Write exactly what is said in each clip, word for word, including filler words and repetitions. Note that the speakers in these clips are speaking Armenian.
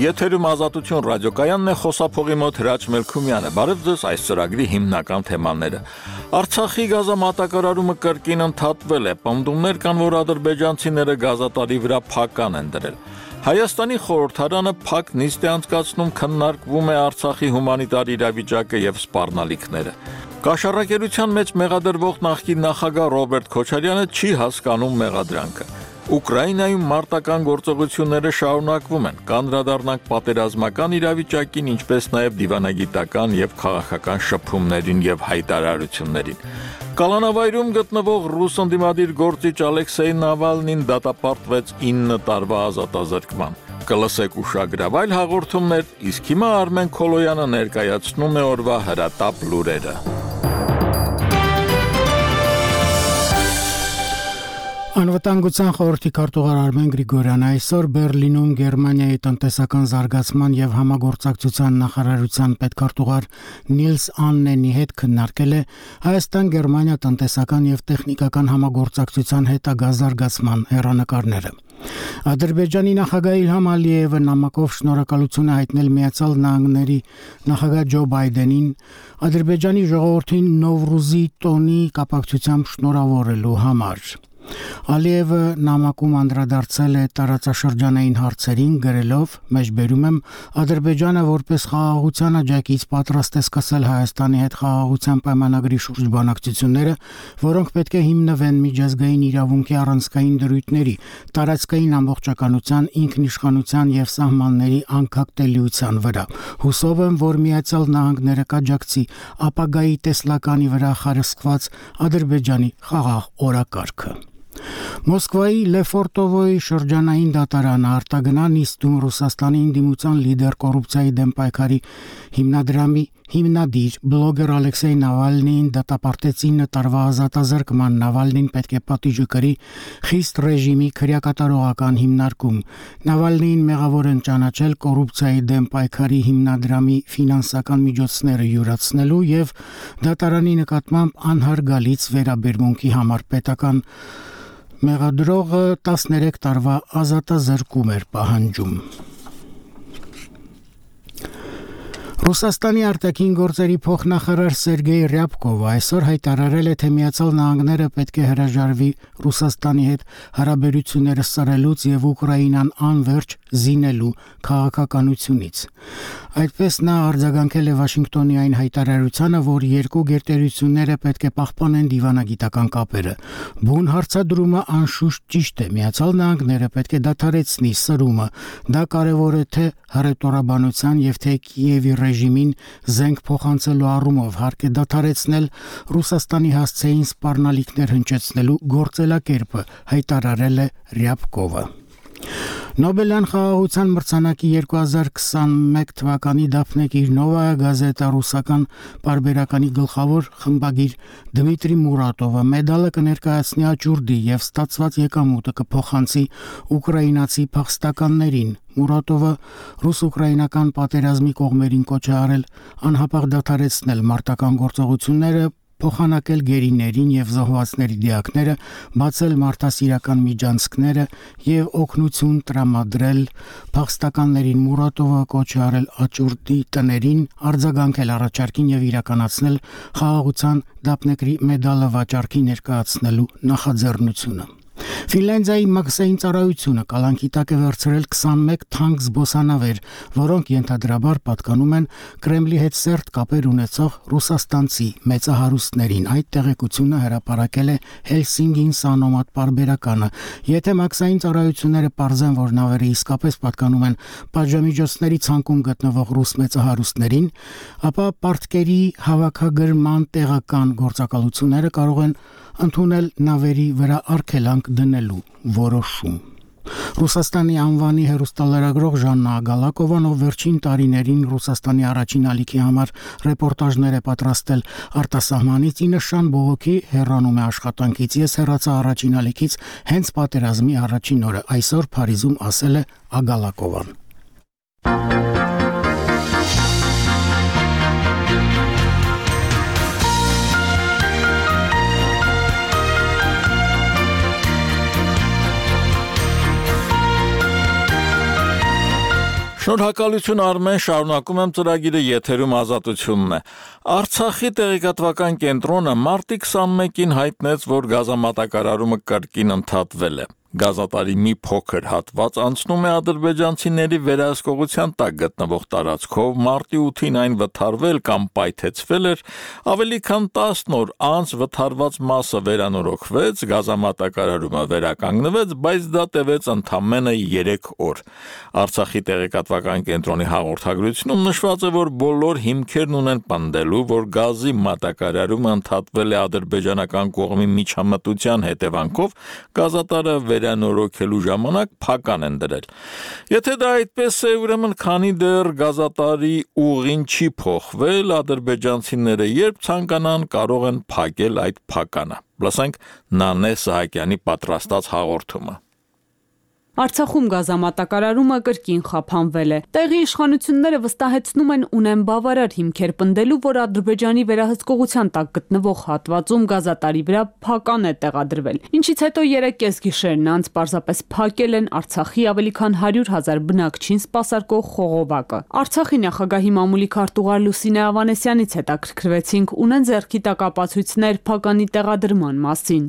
Եթերում Ազատություն ռադիոկայանն է, խոսափողի մոտ Հրաչ Մելքումյանը։ Բարև ձեզ, այս ծրագրի հիմնական թեմաները։ Արցախի գազամատակարարումը կրկին ընդհատվել է։ Պնդումներ կան, որ ադրբեջանցիները գազատարի վրա փական են դրել։ Հայաստանի խորհրդարանը փակ նիստ է անցկացնում, քննարկվում է Արցախի հումանիտար իրավիճակը եւ սպառնալիքները։ Կաշառակերության մեջ մեղադրվող նախկին նախագահ Ռոբերտ Քոչարյանը չի հասկանում մեղադրանքը։ Ուկրաինայում մարտական գործողությունները շարունակվում են, կանդրադառնանք պատերազմական իրավիճակին, ինչպես նաև դիվանագիտական եւ քաղաքական շփումներին եւ հայտարարություններին։ Կալանավայրում գտնվող ռուս ընդդիմադիր գործիչ Ալեքսեյ Նավալնին դատապարտվեց ինը տարվա ազատազրկման։ Կլսեք ուշագրավ այլ հաղորդումներ, իսկ հիմա Արմեն Քոլոյանը ներկայացնում է օրվա հրատապ լուրերը։ Անվտանգության խորհրդի քարտուղար Արմեն Գրիգորյանը այսօր Բերլինում Գերմանիայի տնտեսական զարգացման եւ համագործակցության նախարարության պետքարտուղար Նիլս Աննենի հետ քննարկել է Հայաստան-Գերմանիա տնտեսական եւ տեխնիկական համագործակցության հետագա զարգացման հեռանկարները։ Ադրբեջանի նախագահ Իլհամ Ալիևը նամակով շնորհակալություն է հայտնել Միացյալ Նահանգների նախագահ Ջո Բայդենին Ադրբեջանի ժողովրդին Նովրուզի տոնի կապակցությամբ շնորհավորելու համար։ Ալիևը նամակում անդրադարձել է տարածաշրջանային հարցերին, գրելով. «Մեջբերում եմ Ադրբեջանը որպես խաղաղության աջակից պատրաստ է սկսել Հայաստանի հետ խաղաղության պայմանագրի շուրջ բանակցությունները, որոնք պետք է հիմնվեն միջազգային իրավունքի առանցքային դրույթների, տարածքային ամբողջականության, ինքնիշխանության եւ սահմանների անկախտելիության վրա։ Հուսով եմ, որ Միացյալ Նահանգները կաջակցի ապագայի տեսլականի վրա խարսխված Ադրբեջանի խաղաղ օրակարգը»։ Մոսկվայի Լեֆորտովոյի շրջանային դատարանը արտագնա նիստում Ռուսաստանի ընդդիմության լիդեր կոռուպցիայի դեմ պայքարի հիմնադրամի հիմնադիր բլոգեր Ալեքսեյ Նավալնիին դատապարտեց ինը տարվա ազատազրկման։ Նավալնին պետք է պատիժը կրի խիստ ռեժիմի քրեակատարողական հիմնարկում։ Նավալնիին մեղավոր են ճանաչել կոռուպցիայի դեմ պայքարի հիմնադրամի ֆինանսական միջոցները յուրացնելու եւ դատարանի նկատմամբ անհարգալից վերաբերմունքի համար պետական մեղադրողը տասներեք տարվա ազատազրկում էր պահանջում։ Ռուսաստանի արտաքին գործերի փոխնախարար Սերգեյ Ռյաբկովը այսօր հայտարարել է, թե Միացյալ Նահանգները պետք է հրաժարվի Ռուսաստանի հետ հարաբերությունները սրելուց եւ Ուկրաինան անվերջ զինելու քաղաքականությունից։ Այդպես նա արձագանքել է Վաշինգտոնի այն հայտարարությանը, որ երկու գերտերությունները պետք է պահպանեն դիվանագիտական կապերը։ Բուն հարցադրումը անշուշտ ճիշտ է։ Միացյալ Նահանգները պետք է դադարեցնի սրումը։ Դա կարևոր է թե հռետորաբանության եւ թե Կիևի ռեժիմին զենք փոխանցելու առումով, հարկ է դադարեցնել Ռուսաստանի հասցեին սպառնալիքներ հնչեցնելու գործելակերպը, հայտարարել է Ռյաբկովը։ Նոբելյան խաղաղության մրցանակի երկու հազար քսանմեկ թվականի դափնեկիր Նովայա գազետա ռուսական պարբերականի գլխավոր խմբագիր Դմիտրի Մուրատովը մեդալը կներկայացնի աճուրդի եւ ստացված եկամուտը կփոխանցի ուկրաինացի փախստականներին։ Մուրատովը ռուս-ուկրաինական պատերազմի կողմերին կոչ է արել անհապաղ դադարեցնել մարտական գործողությունները, փոխանակել գերիներին եւ զոհվածների դիակները, բացել մարդասիրական միջանցքները եւ օգնություն տրամադրել փախստականներին։ Մուրատովը կոչ է արել աճուրդի տներին արձագանքել առաջարկին եւ իրականացնել խաղաղության դափնեկրի մեդալը վաճառքի ներկայացնելու նախաձեռնությունը։ Ֆինլանդիայի մաքսային ծառայությունը կալանքի տակ է վերցրել քսանմեկ թանկ զբոսանավեր, որոնք ենթադրաբար պատկանում են Կրեմլի հետ սերտ կապեր ունեցող ռուսաստանցի մեծահարուստներին։ Այդ տեղեկությունը հրապարակել է Հելսինկին Սանոմատ պարբերականը։ Եթե մաքսային ծառայությունները պարզեն, որ նավերը իսկապես պատկանում են պատժամիջոցների ցանկում գտնվող ռուս մեծահարուստներին, ապա պարտքերի հավաքագրման տեղական գործակալությունները կարող են ընդունել նավերի վրա արգելանք դնելու որոշում։ Ռուսաստանի անվանի հեռուստալրագրող Ժաննա Ագալակովան, ով վերջին տարիներին Ռուսաստանի առաջին ալիքի համար ռեպորտաժներ է պատրաստել արտասահմանից, ի նշան բողոքի հեռանում է աշխատանքից։ Ես հեռացա առաջին ալիքից հենց պատերազմի առաջին օրը, այսօր Փարիզում, ասել է Ագալակովան։ Շնորհակալություն Արմեն, շարունակում եմ ծրագիրը, եթերում Ազատությունն է։ Արցախի տեղեկատվական կենտրոնը մարտի քսանմեկին հայտնեց, որ գազամատակարարումը կրկին ընդհատվել է։ Գազատարի մի փոքր հատված անցնում է ադրբեջանցիների վերահսկողության տակ գտնվող տարածքով, մարտի ութին այն վթարվել կամ պայթեցվել էր, ավելի քան տասն օր անց վթարված մասը վերանորոգվեց, գազամատակարարումը վերականգնվեց, բայց դա տևեց ընդամենը երեք օր։ Արցախի տեղեկատվական կենտրոնի հաղորդագրությունում նշված է, որ բոլոր հիմքերն ունեն պնդելու, որ գազի մատակարարումը ընդհատվել է ադրբեջանական կողմի միջամտության հետևանքով, գազատարը վերանորոգելու ժամանակ փական են դրել։ Եթե դա այդպես է, ուրեմն քանի դեռ գազատարի ուղին չի փոխվել, ադրբեջանցիները երբ ցանկանան կարող են փակել այդ փականը։ Լսենք Նանե Սահակյանի պատրաստած հաղորդումը։ Արցախում գազամատակարարումը կրկին խափանվել է։ Տեղի իշխանությունները վստահեցնում են ունեն բավարար հիմքեր պնդելու, որ Ադրբեջանի վերահսկողության տակ գտնվող հատվածում գազատարի վրա փական է տեղադրվել, ինչից հետո երեք կեսգիշերն անց պարզապես փակել են Արցախի ավելի քան հարյուր հազար բնակչին սպասարկող խողովակը։ Արցախի նախագահի մամուլի քարտուղար Լուսինե Ավանեսյանից հետաքրքրվեցինք, ունեն ձեռքի տակ ապացույցներ փականի տեղադրման մասին։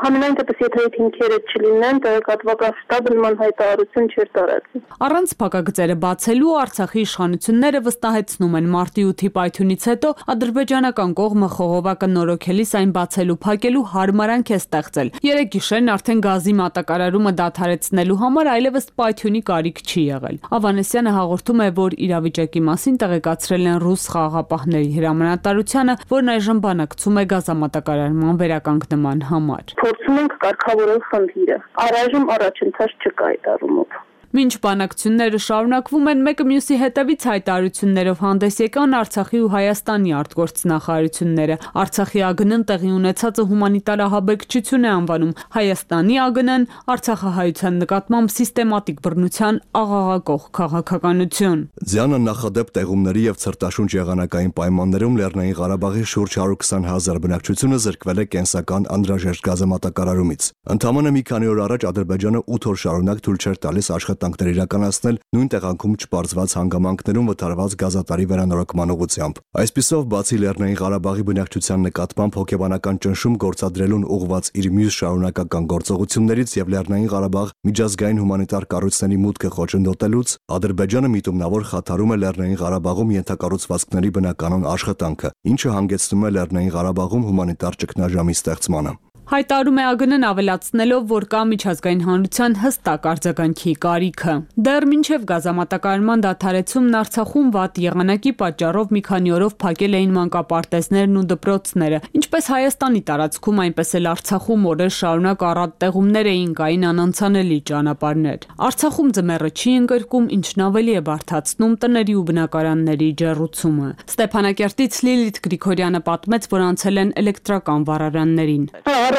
Համենայն դեպս եթե այդ հիմքերը չլինեն, տեղեկատվական շտաբը նման հայտարարություն չէր տարածի։ Առանց փակագծերը բացելու Արցախի իշխանությունները վստահեցնում են մարտի ութի պայթյունից հետո ադրբեջանական կողմը խողովակը նորոգելիս այն բացելու փակելու հարմարանք է ստեղծել։ Երեք գիշերն արդեն գազի մատակարարումը դադարեցնելու համար այլևս պայթյունի կարիք չի եղել։ Ավանեսյանը հաղորդում է, որ իրավիճակի մասին տեղեկացրել են ռուս խաղաղապահների հրամանատարությանը, որն այժմ բանակցում է գազամատակարարման վերականգնման համար։ Փորձում ենք կարգավորել խնդիրը։ Առայժմ առաջընթաց չկա այդ առումով։ Մինչ բանակցությունները շարունակվում են, մեկը մյուսի հետևից հայտարարություններով հանդես եկան Արցախի ու Հայաստանի արտգործնախարարությունները։ Արցախի ԱԳՆ-ն տեղի ունեցածը հումանիտար ահաբեկչություն է անվանում, Հայաստանի ԱԳՆ-ն արցախահայության նկատմամբ սիստեմատիկ բռնության աղաղակող քաղաքականություն։ Ձյանը նախադեպ տեղումների եւ ցրտաշունչ եղանակային պայմաններում Լեռնային Ղարաբաղի շուրջ հարյուր քսան հազար բնակչությունը զրկվել է կենսական անհրաժեշտ գազամատակարարումից։ Ընդամենը մի քանի օր առաջ Ադրբեջանը ութ օր շարունակ թույլ չէր տալիս աշխատանքներ իրականացնել նույն տեղանքում չպարզված հանգամանքներում վթարված գազատարի վերանորոգման ուղղությամբ։ Այսպիսով, բացի Լեռնային Ղարաբաղի բնակչության նկատմամբ հոգեբանական ճնշում գործադրելուն ուղղված իր մյուս շարունակական գործողություններից եւ Լեռնային Ղարաբաղ միջազգային հումանիտար կառույցների մուտքը խոչընդոտելուց, Ադրբեջանը միտումնավոր խաթարում է Լեռնային Ղարաբաղում ենթակառուցվածքների բնականon աշխատանքը, ինչը հանգեցնում է Լեռնային Ղարաբաղում հումանիտար ճգնաժամի ստեղծմանը։ Հայտարարում է ԱԳՆ-ն ավելացնելով, որ կա միջազգային հանրության հստակ արձագանքի կարիքը։ Դեռ մինչև գազամատակարարման դադարեցումն Արցախում վատ եղանակի պատճառով մի քանի օրով փակել էին մանկապարտեզներն ու դպրոցները, ինչպես Հայաստանի տարածքում, այնպես էլ Արցախում օրեր շարունակ առատ տեղումներ էին, կային անանցանելի ճանապարհներ։ Արցախում ձմեռը չի ընկրկում, ինչն ավելի է բարդացնում տների ու բնակարանների ջեռուցումը։ Ստեփանակերտից Լիլիթ Գրիգորյանը պատմեց, որ անցել են էլեկտրական վառարաններին։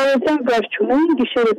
Առավոտյան գազ չունեն, գիշերը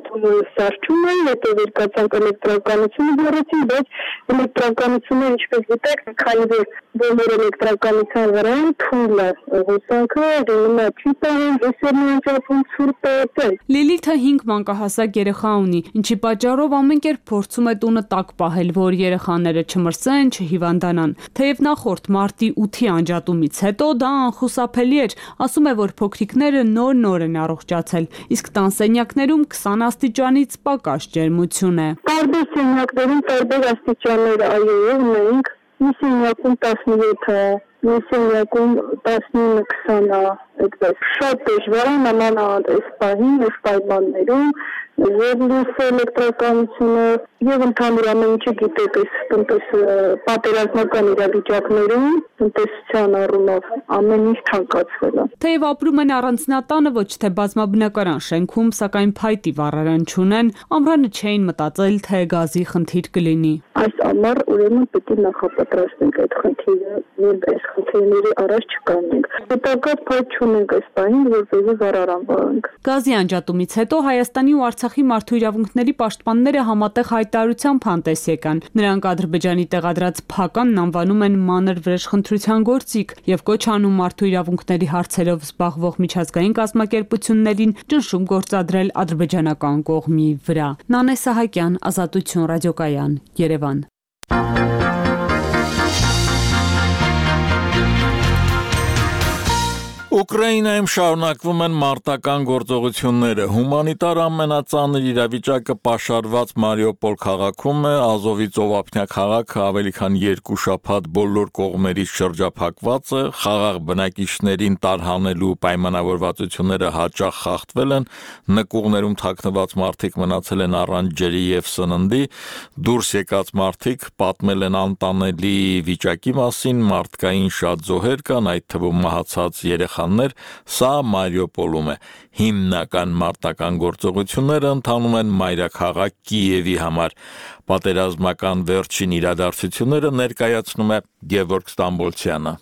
սարճում են, հետո վերկացանք էլեկտրականությունը բառացին, բայց էլեկտրականությունը, ինչպես գիտեք, քանի որ բոլոր էլեկտրականության վրա թույլ է հոսանքը, դիմը չի տանում, ռեսերն անջատում ցուրտ է։ Լիլիթը հինգ մանկահասակ երեխա ունի, ինչի պատճառով ամեն կերպ փորձում է տունը տաք պահել, որ երեխաները չմրսեն, չհիվանդանան։ Թեև նախորդ մարտի ութի անջատումից հետո դա անխուսափելի էր, ասում է, որ փոքրիկները նոր-նոր են առողջացել, իսկ տանսենյակներում քսան աստիճանից պակաս ջերմություն է։ Տարբեր սենյակներում տարբեր աստիճաններ այո ունենք, մի սենյակում տասնյոթ է, մի սենյակում տասնինը քսան է, այդպես։ Շատ դժվար է նմանալ այս պահին, այս պայմաններում, եւ լույս էլեկտրականությունը եւ ընդհանուր ամեն ինչը գիտեք, այս տնտես պատերազմական իրավիճակներում տնտեսության առումով ամեն ինչ թանկացվել է։ Թեև ապրում են առանձնատանը, ոչ թե բազմաբնակարան շենքում, սակայն փայտի վառարան չունեն, ամռանը չէին մտածել, թե գազի խնդիր կլինի։ Այս ամառ ուրեմն պետք է նախապատրաստենք այդ խնդիրը, որ այս խնդիրների առաջ չկանենք։ Հետագա փայտ չունենք այս պահին, որպեսզի վառարան վառենք։ Գազի անջատումից հետո Հայաստանի ու Արցախի մարդու իրավունքների պաշտպանները համատեղ հայտարարությամբ հանդես եկան։ Նրանք Ադրբեջանի տեղադրած փականն անվանում են մանր վրեժխնդրության գործիք եւ կոչ անում մարդու իրավունքների հարցերով զբաղվող միջազգային կազմակերպություններին ճնշում գործադրել ադրբեջանական կողմի վրա։ Նանե Սահակյան, Ազատություն ռադիոկայան, Երևան։ Ուկրաինայում շարունակվում են մարտական գործողությունները։ Հումանիտար ամենածանր իրավիճակը պաշարված Մարիուպոլ քաղաքում է, Ազովի ծովափնյա քաղաքը ավելի քան երկու շաբաթ բոլոր կողմերից շրջափակված է, խաղաղ բնակիչներին տարհանելու պայմանավորվածությունները հաճախ խախտվել են, նկուղներում թաքնված մարդիկ մնացել են առանց ջրի և սննդի, դուրս եկած մարդիկ պատմել են անտանելի վիճակի մասին, մարդկային շատ զոհեր կան, այդ թվում մահացած երեխա Սա Մարիուպոլում է։ Հիմնական մարտական գործողությունները ընթանում են մայրաքաղաք Կիևի համար։ Պատերազմական վերջին իրադարձությունները ներկայացնում է Գևորգ Ստամբոլցյանը։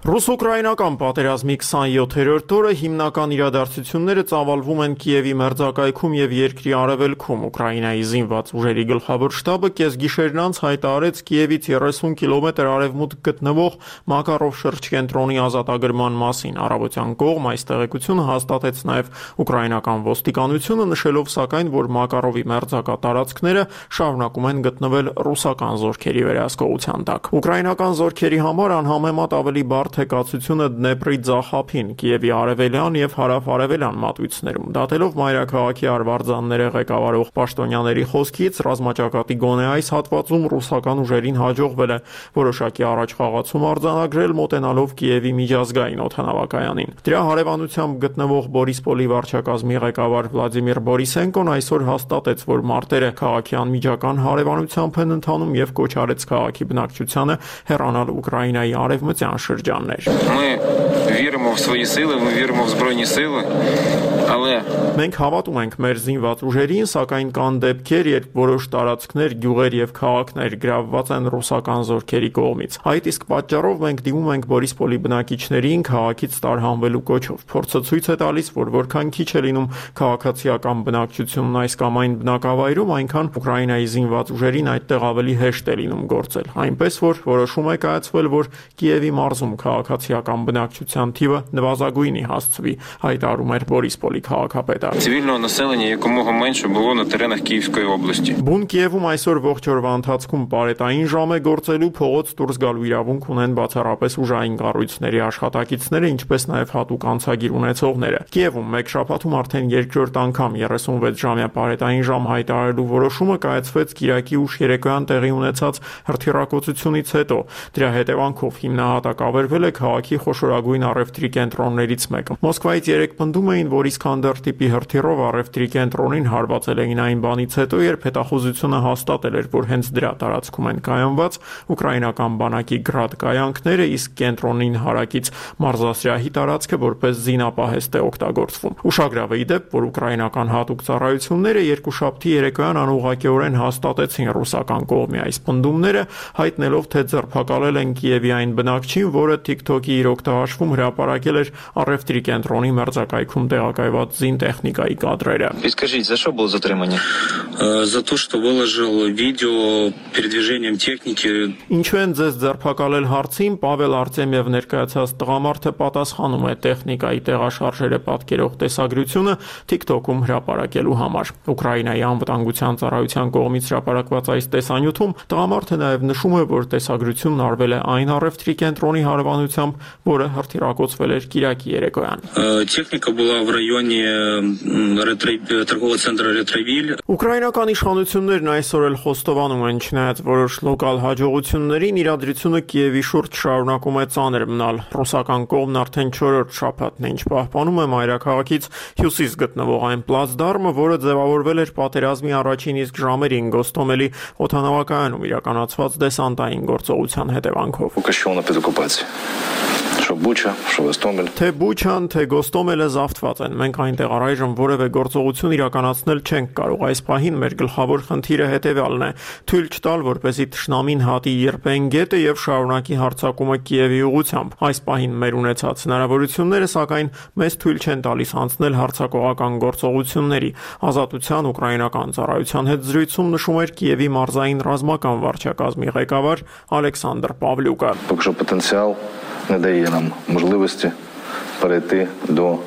Ռուս-ուկրաինական պատերազմի քսանյոթերորդ օրը հիմնական իրադարձությունները ծավալվում են Կիևի մերձակայքում և երկրի արևելքում։ Ուկրաինայի զինված ուժերի գլխավոր շտաբը կեսգիշերն անց հայտարարեց Կիևից երեսուն կիլոմետր արևմուտք գտնվող Մակարով շրջկենտրոնի ազատագրման մասին։ Առավոտյան կողմ այս տեղեկությունը հաստատեց նաև ուկրաինական ոստիկանությունը, նշելով սակայն, որ Մակարովի մերձակա տարածքները շարունակում են գտնվել ռուսական զորքերի վերահսկողության տակ։ Ուկրաինական զորքերի համար անհամեմատ ավելի բարդ է կացությունը Դնեպրի ձախափին, Կիևի արևելյան և հարավ-արևելյան մատույցներում։ Դատելով մայրաքաղաքի արվարձանները ղեկավարող պաշտոնյաների խոսքից, ռազմաճակատի գոնե այս հատվածում ռուսական ուժերին հաջողվել է որոշակի առաջխաղացում արձանագրել, մոտենալով Կիևի միջազգային օդանավակայանին։ Դրա հարևանությամբ գտնվող Բորիսպոլի վարչակազմի ղեկավար Վլադիմիր Բորիսենկոն այսօր հաստատեց, որ մարտերը քաղաքի անմիջական հարևանությամբ են ընթանում և կոչ արեց քաղաքի բնակչությանը հեռանալ Ուկրաինայի արևմտյան շրջան։ Ми віримо в свої сили, ми віримо в Збройні сили, але Մենք հավատում ենք մեր զինված ուժերին, սակայն կան դեպքեր, երբ որոշ տարածքներ, գյուղեր և քաղաքներ գրավված են ռուսական զորքերի կողմից։ Այդ իսկ պատճառով մենք դիմում ենք Բորիսպոլի բնակիչներին քաղաքից տարհանվելու կոչով։ Փորձը ցույց է տալիս, որ որքան քիչ է լինում քաղաքացիական բնակչությունն այս կամ այն բնակավայրում, այնքան Ուկրաինայի զինված ուժերին այդտեղ ավելի հեշտ է լինում գործել։ Այնպես որ որոշում է կայացվել, որ Կիևի մարզում քաղաքացիական բնակչության թիվը նվազագույնի հասցվի, հայտարարում էր Բորիսպոլի քաղաքապետը։ цивільного населення якомога менше було на теренах Київської області. Բուն Կիևում այսօր ողջ օրվա ընթացքում պարետային ժամ է գործելու, փողոց դուրս գալու իրավունք ունեն բացառապես ուժային կառույցների աշխատակիցները, ինչպես նաև հատուկ անցագիր ունեցողները։ Կիևում մեկ շաբաթում արդեն երկրորդ անգամ երեսունվեց ժամյա պարետային ժամ հայտարարելու որոշումը կայացվեց Կիրակի ուշ երեկոյան տեղի ունեցած հրթիռակոծությունից հետո։ Դրա հետևանքով հիմնահատակ ավերվել է քաղաքի խոշորագույն առևտրի կենտրոններից մեկը։ Մոսկվայից երեկ պնդում էին, որ Իսքանդեր տիպի հրթիռով առևտրի կենտրոնին հարվածել էին այն բանից հետո, երբ հետախուզությունը հաստատել էր, որ հենց դրա տարածքում են կայանված ուկրաինական բանակի գրադ կայանքները, իսկ կենտրոնին հարակից մարզասրահի տարածքը որպես զինապահեստ է օգտագործվում։ Ուշագրավ է ի դեպ, որ ուկրաինական հատուկ ծառայությունները երկուշաբթի երեկոյան անուղղակիորեն հաստատեցին ռուսական կողմի այս պնդումները, հայտնելով, թե ձերբակալել են Կիևի այն бնակչին, որը TikTok-ի իր օգտահաշվում հրապարակել էր առևտրի կենտրոնի մերձակայքում տեղակայված զինտեխնիկայի կադրերը։ Скажите, за что было затримание? За то, что выложил видео передвижением техники. Ինչու են ձեզ ձերբակալել հարցին, Պավել Արտեմիև ներկայացած տղամարդը պատասխանում է տեխնիկայի տեղաշարժերը պատկերող տեսագրությունը TikTok-ում հրապարակելու համար։ Ուկրաինայի անվտանգության ծառայության կողմից հրապարակված այս տեսանյութում տղամարդը նաև նշում է, որ տեսագրությունն արվել է այն առևտրի կենտրոնի հարևանությամբ, որը հրթիռակոծվել էր Կիրակի երեկոյան։ Техника была в районе торгового центра Ретровиль. Ուկրաինական իշխանություններն այսօր էլ խոստովանում են, չնայած որոշ լոկալ հաջողություններին, իրադրությունը Կիևի շուրջ շարունակում է ծանր մնալ։ Ռուսական կողմն արդեն չորրորդ շաբաթն է, ինչ պահպանում է մայրաքաղաքից հյուսիս գտնվող այն պլացդարմը, որը ձևավորվել էր պատերազմի առաջին իսկ ժամերին Գոստոմելի օդանավակայանում իրականացված դեսանտային գործողության հետևանքով։ Բուչա, Գոստոմել։ Թե Բուչան, թե Գոստոմելը զավթված են։ Մենք այնտեղ առայժմ որևէ գործողություն իրականացնել չենք կարող։ Այս պահին մեր գլխավոր խնդիրը հետևյալն է՝ թույլ չտալ, որպեսզի թշնամին հատի ԵրՊԵ-ն գետը եւ շարունակի հարձակումը Կիևի ուղղությամբ։ Այս պահին մեր ունեցած հնարավորությունները, սակայն, մեզ թույլ չեն տալիս անցնել հարձակողական գործողությունների։ Ազատության ուկրաինական ծառայության հետ զրույցում նշում էր Կիևի մարզային ռազմական վարչակազմի ղեկավար Ալեքսանդր Պավլյուկը։ Поки що потенціал не дає нам можливості перейти до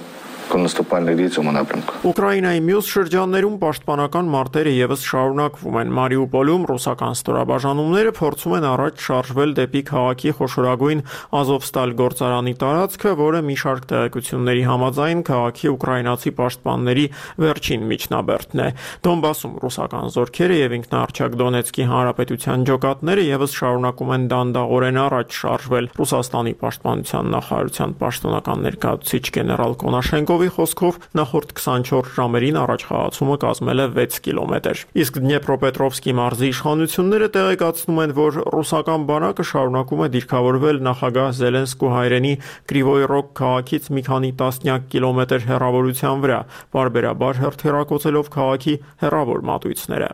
наступальных действий напрямку. Ուկրաինայի մյուս շրջաններում պաշտպանական մարտերը եւս շարունակվում են։ Մարիուպոլում ռուսական ստորաբաժանումները փորձում են առաջ շարժվել դեպի քաղաքի խոշորագույն Ազովստալ գործարանի տարածքը, որը մի շարք տեղեկությունների համաձայն քաղաքի ուկրաինացի պաշտպանների վերջին միջնաբերդն է։ Դոնբասում ռուսական զորքերը եւ ինքնաառաջակ Դոնեցկի հանրապետության ջոկատները եւս շարունակում են դանդաղորեն առաջ շարժվել։ Ռուսաստանի պաշտպանության նախարարության պաշտոնական ներկայացուցիչ գեներալ Կոնաշենկովի խոսքով նախորդ քսանչորս ժամերին առաջխաղացումը կազմել է վեց կիլոմետր։ Իսկ Դնեպրոպետրովսկի մարզի իշխանությունները տեղեկացնում են, որ ռուսական բանակը շարունակում է դիրքավորվել նախագահ Զելենսկու հայրենի Կրիվոյ Ռոգ քաղաքից մի քանի տասնյակ կիլոմետր հեռավորության վրա, բարբերաբար հերթերակոծելով քաղաքի հեռավոր մատույցները։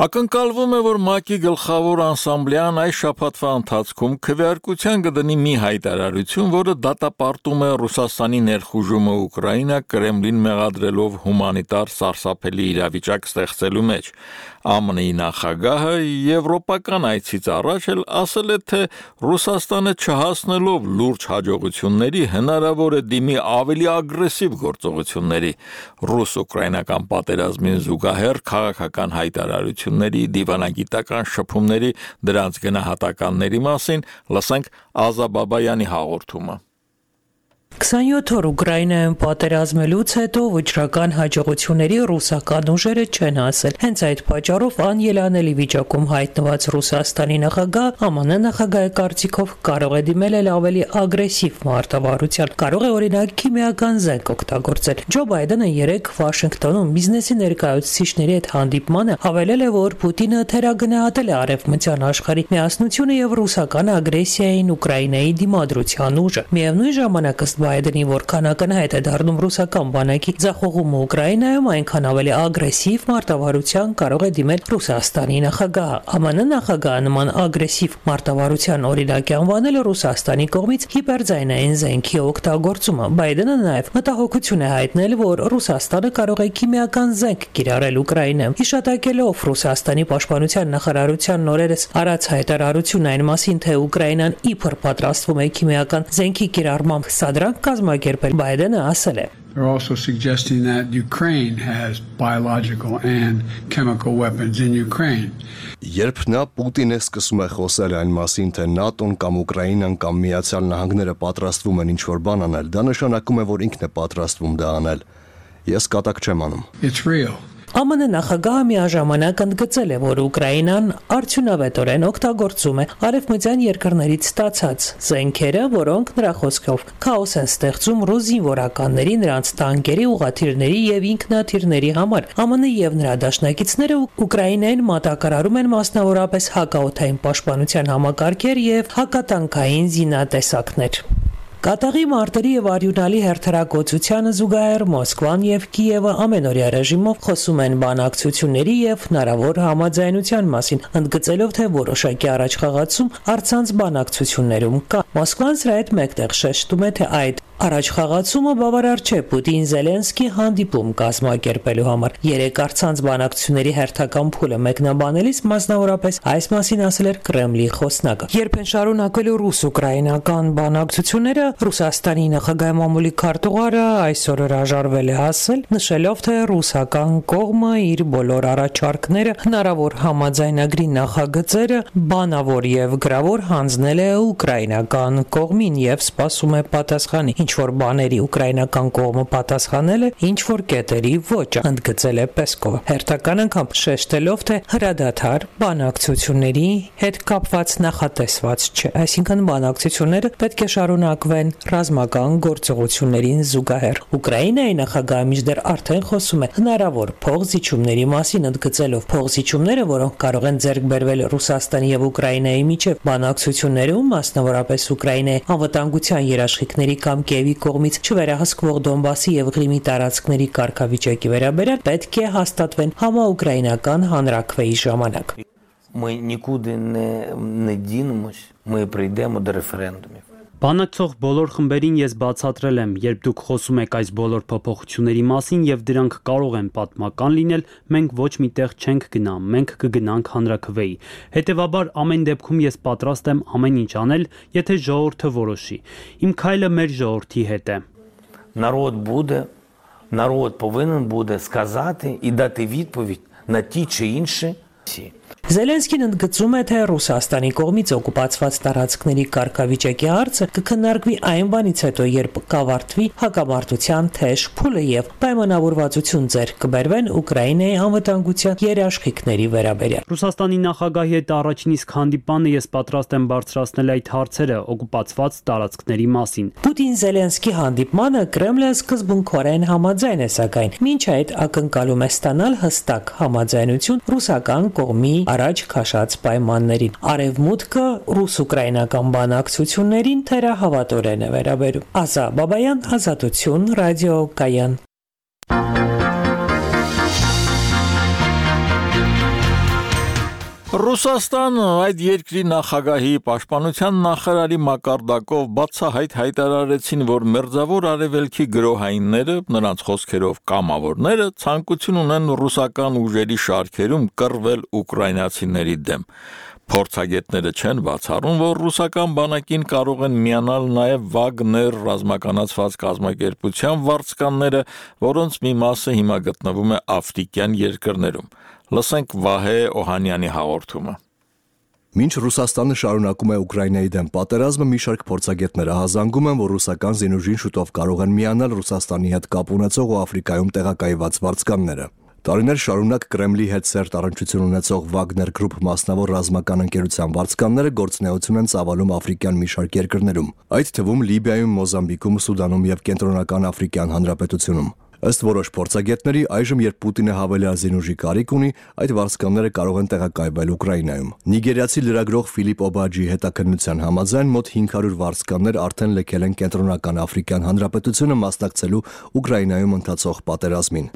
Ակնկալվում է, որ ՄԱԿ-ի գլխավոր անսամբլեան այս շաբաթվա ընթացքում քվեարկության կդնի մի հայտարարություն, որը դատապարտում է Ռուսաստանի ներխուժումը Ուկրաինա Կրեմլին մեղադրելով հումանիտար սարսափելի իրավիճակ ստեղծելու մեջ։ ԱՄՆ-ի նախագահը եվրոպական այցից առաջ էլ ասել է, թե Ռուսաստանը չհասնելով լուրջ հաջողությունների հնարավոր է դիմի ավելի ագրեսիվ գործողությունների։ Ռուս-ուկրաինական պատերազմին զուգահեռ քաղաքական հայտարարությունների, դիվանագիտական շփումների, դրանց գնահատականների մասին լսենք Ազա Բաբայանի հաղորդումը։ քսանյոթ օր Ուկրաինայում պատերազմելուց հետո վճռական հաջողությունների ռուսական ուժերը չեն հասել։ Հենց այդ պատճառով անելանելի վիճակում հայտնված Ռուսաստանի նախագահ ԱՄՆ նախագահի կարծիքով կարող է դիմել էլ ավելի ագրեսիվ մարտավարության, կարող է օրինակ քիմիական զենք օգտագործել։ Ջո Բայդենը երեկ Վաշինգտոնում բիզնեսի ներկայացուցիչների հետ հանդիպմանը հավելել է, որ Պուտինը թերագնահատել է արևմտյան աշխարհի միասնությունը եւ ռուսական ագրեսիային Ուկրաինայի դիմադրության ուժը։ Միևնույն ժամանակ ըստ Բայդենի, որքան ակնհայտ է դառնում ռուսական բանակի ձախողումը Ուկրաինայում, այնքան ավելի ագրեսիվ մարտավարության կարող է դիմել Ռուսաստանի նախագահը։ ԱՄՆ նախագահը նման ագրեսիվ մարտավարության օրինակ է անվանել Ռուսաստանի կողմից հիպերձայնային զենքի օգտագործումը։ Բայդենը նաև մտահոգություն է հայտնել, որ Ռուսաստանը կարող է քիմիական զենք կիրառել Ուկրաինայում։ Հիշատակելով Ռուսաստանի պաշտպանության նախարարության նորերս արած հայտարարություն այն մասին, թե Ուկրաինան իբր պատրաստվում է քիմիական զենքի կիրառմամբ սադրանք կազմակերպել, Բայդենը ասել է. They're also suggesting that Ukraine has biological and chemical weapons in Ukraine. Երբ նա Պուտինը սկսում է խոսել այն մասին, թե ՆԱՏՕ-ն կամ Ուկրաինան կամ Միացյալ Նահանգները պատրաստվում են ինչ-որ բան անել, դա նշանակում է, որ ինքն է պատրաստվում դա անել։ Ես կատակ չեմ անում։ It's real. ԱՄՆ նախագահը միաժամանակ ընդգծել է, որ Ուկրաինան արդյունավետորեն օգտագործում է արևմտյան երկրներից ստացած զենքերը, որոնք նրա խոսքով քաոս են ստեղծում ռուս զինվորականների, նրանց տանկերի, ուղղաթիռների եւ ինքնաթիռների համար։ ԱՄՆ եւ նրա դաշնակիցները Ուկրաինային մատակարարում են մասնավորապես հակաօդային պաշտպանության համակարգեր եւ հակատանկային զինատեսակներ։ Կատաղի մարտերի եւ արյունալի հերթերակոծությանը զուգահեռ Մոսկվան եւ Կիևը ամենօրյա ռեժիմով խոսում են բանակցությունների եւ հնարավոր համաձայնության մասին, ընդգծելով, թե որոշակի առաջխաղացում առցանց բանակցություններում կա։ Մոսկվան սրա հետ մեկտեղ շեշտում է, թե այդ առաջխաղացումը բավարար չէ Պուտին-Զելենսկի հանդիպում կազմակերպելու համար։ Երեք առցանց բանակցությունների հերթական փուլը մեկնաբանելիս մասնավորապես այս մասին ասել էր Կրեմլի խոսնակը։ Երբ են շարունակվելու ռուս-ուկրաինական բանակցությունները, Ռուսաստանի նախագահի մամուլի քարտուղարը այսօր հրաժարվել է ասել, նշելով, թե ռուսական կողմը իր բոլոր առաջարկները, հնարավոր համաձայնագրի նախագծերը բանավոր եւ գրավոր հանձնել է ուկրաինական կողմին եւ սպասում է պատասխանի։ Ինչ որ բաների ուկրաինական կողմը պատասխանել է, ինչ որ կետերի ոճը, ընդգծել է Պեսկովը։ Հերթական անգամ շեշտելով, թե հրադադար բանակցությունների հետ կապված նախատեսված չէ, այսինքն բանակցությունները պետք է շարունակվեն ռազմական գործողություններին զուգահեռ։ Ուկրաինայի նախագահը մինչդեռ արդեն խոսում է հնարավոր փողզիջումների մասին, ընդգծելով փողզիջումները, որոնք կարող են ձեռք բերվել Ռուսաստանի եւ Ուկրաինայի միջև բանակցություններում, մասնավորապես Ուկրաինայի անվտանգության երաշխիքների կամ Կիևի կողմից չվերահսկվող Դոնբասի եւ Ղրիմի տարածքների կարգավիճակի վերաբերյալ պետք է հաստատվեն համաուկրաինական հանրաքվեի ժամանակ։ Ми нікуди не, не дінемось, ми прийдемо до референдумів. Բանակցող բոլոր խմբերին ես բացատրել եմ, երբ դուք խոսում եք այս բոլոր փոփոխությունների մասին եւ դրանք կարող են պատմական լինել, մենք ոչ միտեղ չենք գնա, մենք կգնանք հանրաքվեի։ Հետևաբար ամեն դեպքում ես պատրաստ եմ ամեն ինչ անել, եթե ժողովուրդը որոշի։ Իմ քայլը մեր ժողովրդի հետ է։ Народ буде, народ повинен буде сказати і дати відповідь на ті чи інші всі. Զելենսկին ընդգծում է, թե Ռուսաստանի կողմից օկուպացված տարածքների կարգավիճակի հարցը կքննարկվի այն բանից հետո, երբ կավարտվի հակամարտության թեժ փուլը եւ պայմանավորվածություն ձեռք կբերվեն Ուկրաինայի անվտանգության երաշխիքների վերաբերյալ։ Ռուսաստանի նախագահի հետ առաջին իսկ հանդիպանը ես պատրաստ եմ բարձրացնել այդ հարցերը օկուպացված տարածքների մասին։ Պուտին-Զելենսկի հանդիպմանը Կրեմլը սկզբունքորեն համաձայն է, սակայն մինչ այդ ակնկալում է ստանալ հստակ համաձայնություն ռուսական կողմի առաջ քաշած պայմաններին։ Արևմուտքը ռուս-ուկրաինական բանակցություններին թերահավատորեն է վերաբերում։ Ազա Բաբայան, Ազատություն, Ռադիո Կայան։ Ռուսաստանը այդ երկրի նախագահի պաշտպանության նախարարի մակարդակով բացահայտ հայտարարեցին, որ մերձավոր արևելքի գրոհայինները, նրանց խոսքերով կամավորները, ցանկություն ունեն ռուսական ուժերի շարքերում կռվել ուկրաինացիների դեմ։ Փորձագետները չեն բացառում, որ ռուսական բանակին կարող են միանալ նաև Վագներ ռազմականացված կազմակերպության վարձկանները, որոնց մի մասը հիմա գտնվում է աֆրիկյան երկրներում։ Լսենք Վահե Օհանյանի հաղորդումը։ Մինչ Ռուսաստանը շարունակում է Ուկրաինայի դեմ պատերազմը, մի շարք փորձագետներ ահազանգում են, որ ռուսական զինուժին շուտով կարող են միանալ Ռուսաստանի հետ կապ ունեցող ու Աֆրիկայում տեղակայված վարձկանները։ Տարիներ շարունակ Կրեմլի հետ սերտ առնչություն ունեցող Վագներ գրուպ մասնավոր ռազմական ընկերության վարձկանները գործունեություն են ծավալում աֆրիկյան մի շարք երկրներում, այդ թվում Լիբիայում, Մոզամբիկում, Սուդանում եւ Կենտրոնական Աֆրիկյան Հանրապետությունում։ Ըստ որոշ փորձագետների, այժմ երբ Պուտինը հավելյալ զինուժի կարիք ունի, այդ վարձկանները կարող են տեղակայվել Ուկրաինայում։ Նիգերիացի լրագրող Ֆիլիպ Օբաջի հետաքննության համաձայն մոտ հինգ հարյուր վարձկաններ արդեն լքել են Կենտրոնական Աֆրիկյան Հանրապետությունը մասնակցելու Ուկրաինայում ընթացող պատերազմին։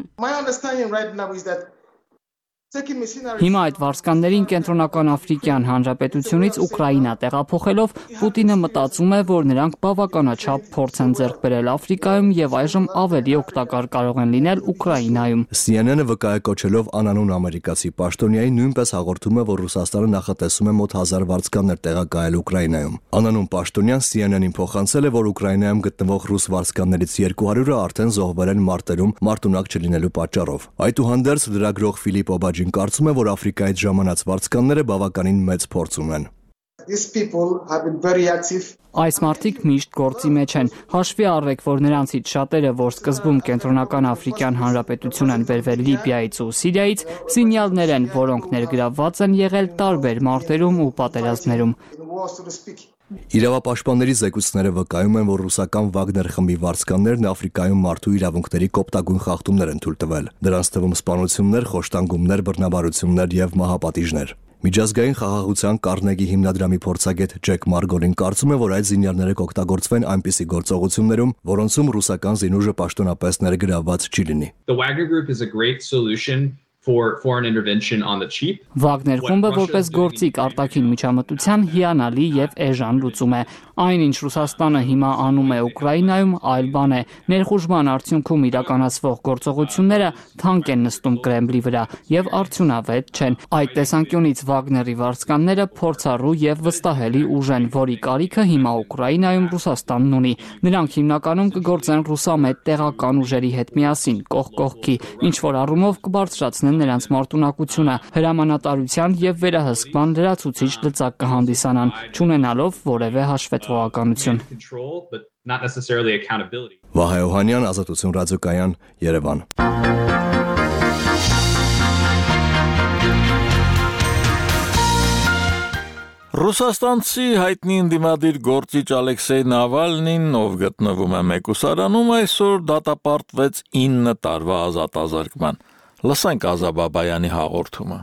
Հիմա այդ վարձկաններին Կենտրոնական Աֆրիկյան Հանրապետությունից Ուկրաինա տեղափոխելով Պուտինը մտածում է, որ նրանք բավականաչափ փորձ են ձեռք բերել Աֆրիկայում եւ այժմ ավելի օգտակար կարող են լինել Ուկրաինայում։ C N N-ը վկայակոչելով անանուն ամերիկացի պաշտոնյայի նույնպես հաղորդում է, որ Ռուսաստանը նախատեսում է մոտ հազար վարձկաններ տեղակայել Ուկրաինայում։ Անանուն պաշտոնյան C N N-ին փոխանցել է, որ Ուկրաինայում գտնվող ռուս վարձկաններից երկու հարյուրը արդեն զոհվել են մարտերում մարտունակ չլինելու պատճառով։ Այդուհանդերձ լրագրող Ֆիլիպ Օբաջի կարծում է, որ Աֆրիկայից ժամանած վարձկանները բավականին մեծ փորձ ունեն։ Այս մարդիկ միշտ գործի մեջ են։ Հաշվի առեք, որ նրանցից շատերը, որ սկզբում Կենտրոնական Աֆրիկյան Հանրապետություն են բերվել Լիբիայից ու Սիրիայից, զինյալներ են, որոնք ներգրավված են եղել տարբեր մարտերում ու պատերազմներում։ Իրավապաշտպանների զեկույցները վկայում են, որ ռուսական Վագներ խմբի վարձկաններն Աֆրիկայում մարդու իրավունքների կոպտագույն խախտումներ են թույլ տվել։ Դրանց թվում սպանություններ, խոշտանգումներ, բռնաբարություններ եւ մահապատիժներ։ Միջազգային խաղաղության Կարնեգի հիմնադրամի փորձագետ Ջեք Մարգոլին կարծում է, որ այդ զինյալները կօգտագործվեն այնպիսի գործողություններում, որոնցում ռուսական զինուժը պաշտոնապես ներգրավված չի լինի։ The Wagner Group is a great solution for foreign intervention on the cheap. Վագներ խումբը որպես գործիք արտաքին միջամտության հիանալի եւ էժան լուծում է։ Այն ինչ Ռուսաստանը հիմա անում է Ուկրաինայում, այլ բան է։ Ներխուժման արդյունքում իրականացվող գործողությունները թանկ են նստում Կրեմլի վրա եւ արդյունավետ չեն։ Այդ տեսանկյունից Վագների վարձկանները փորձառու եւ վստահելի ուժ են, որի կարիքը հիմա Ուկրաինայում Ռուսաստանն ունի։ Նրանք հիմնականում կգործեն ռուսամետ տեղական ուժերի հետ միասին, կողք կողքի, ինչ որ առումով կբարձրացնեն նրանց մարտունակությունը, հրամանատարության եւ վերահսկման լրացուցիչ լծակ կհանդիսանան, չունենալով որևէ հաշվետվողականություն։ Վահե Օհանյան, Ազատություն ռադիոկայան, Երևան։ Ռուսաստանցի հայտնի ընդդիմադիր գործիչ Ալեքսեյ Նավալնին, ով գտնվում է մեկուսարանում, այսօր դատապարտվեց ինը տարվա ազատազրկման։ Լսենք Ազա Բաբայանի հաղորդումը։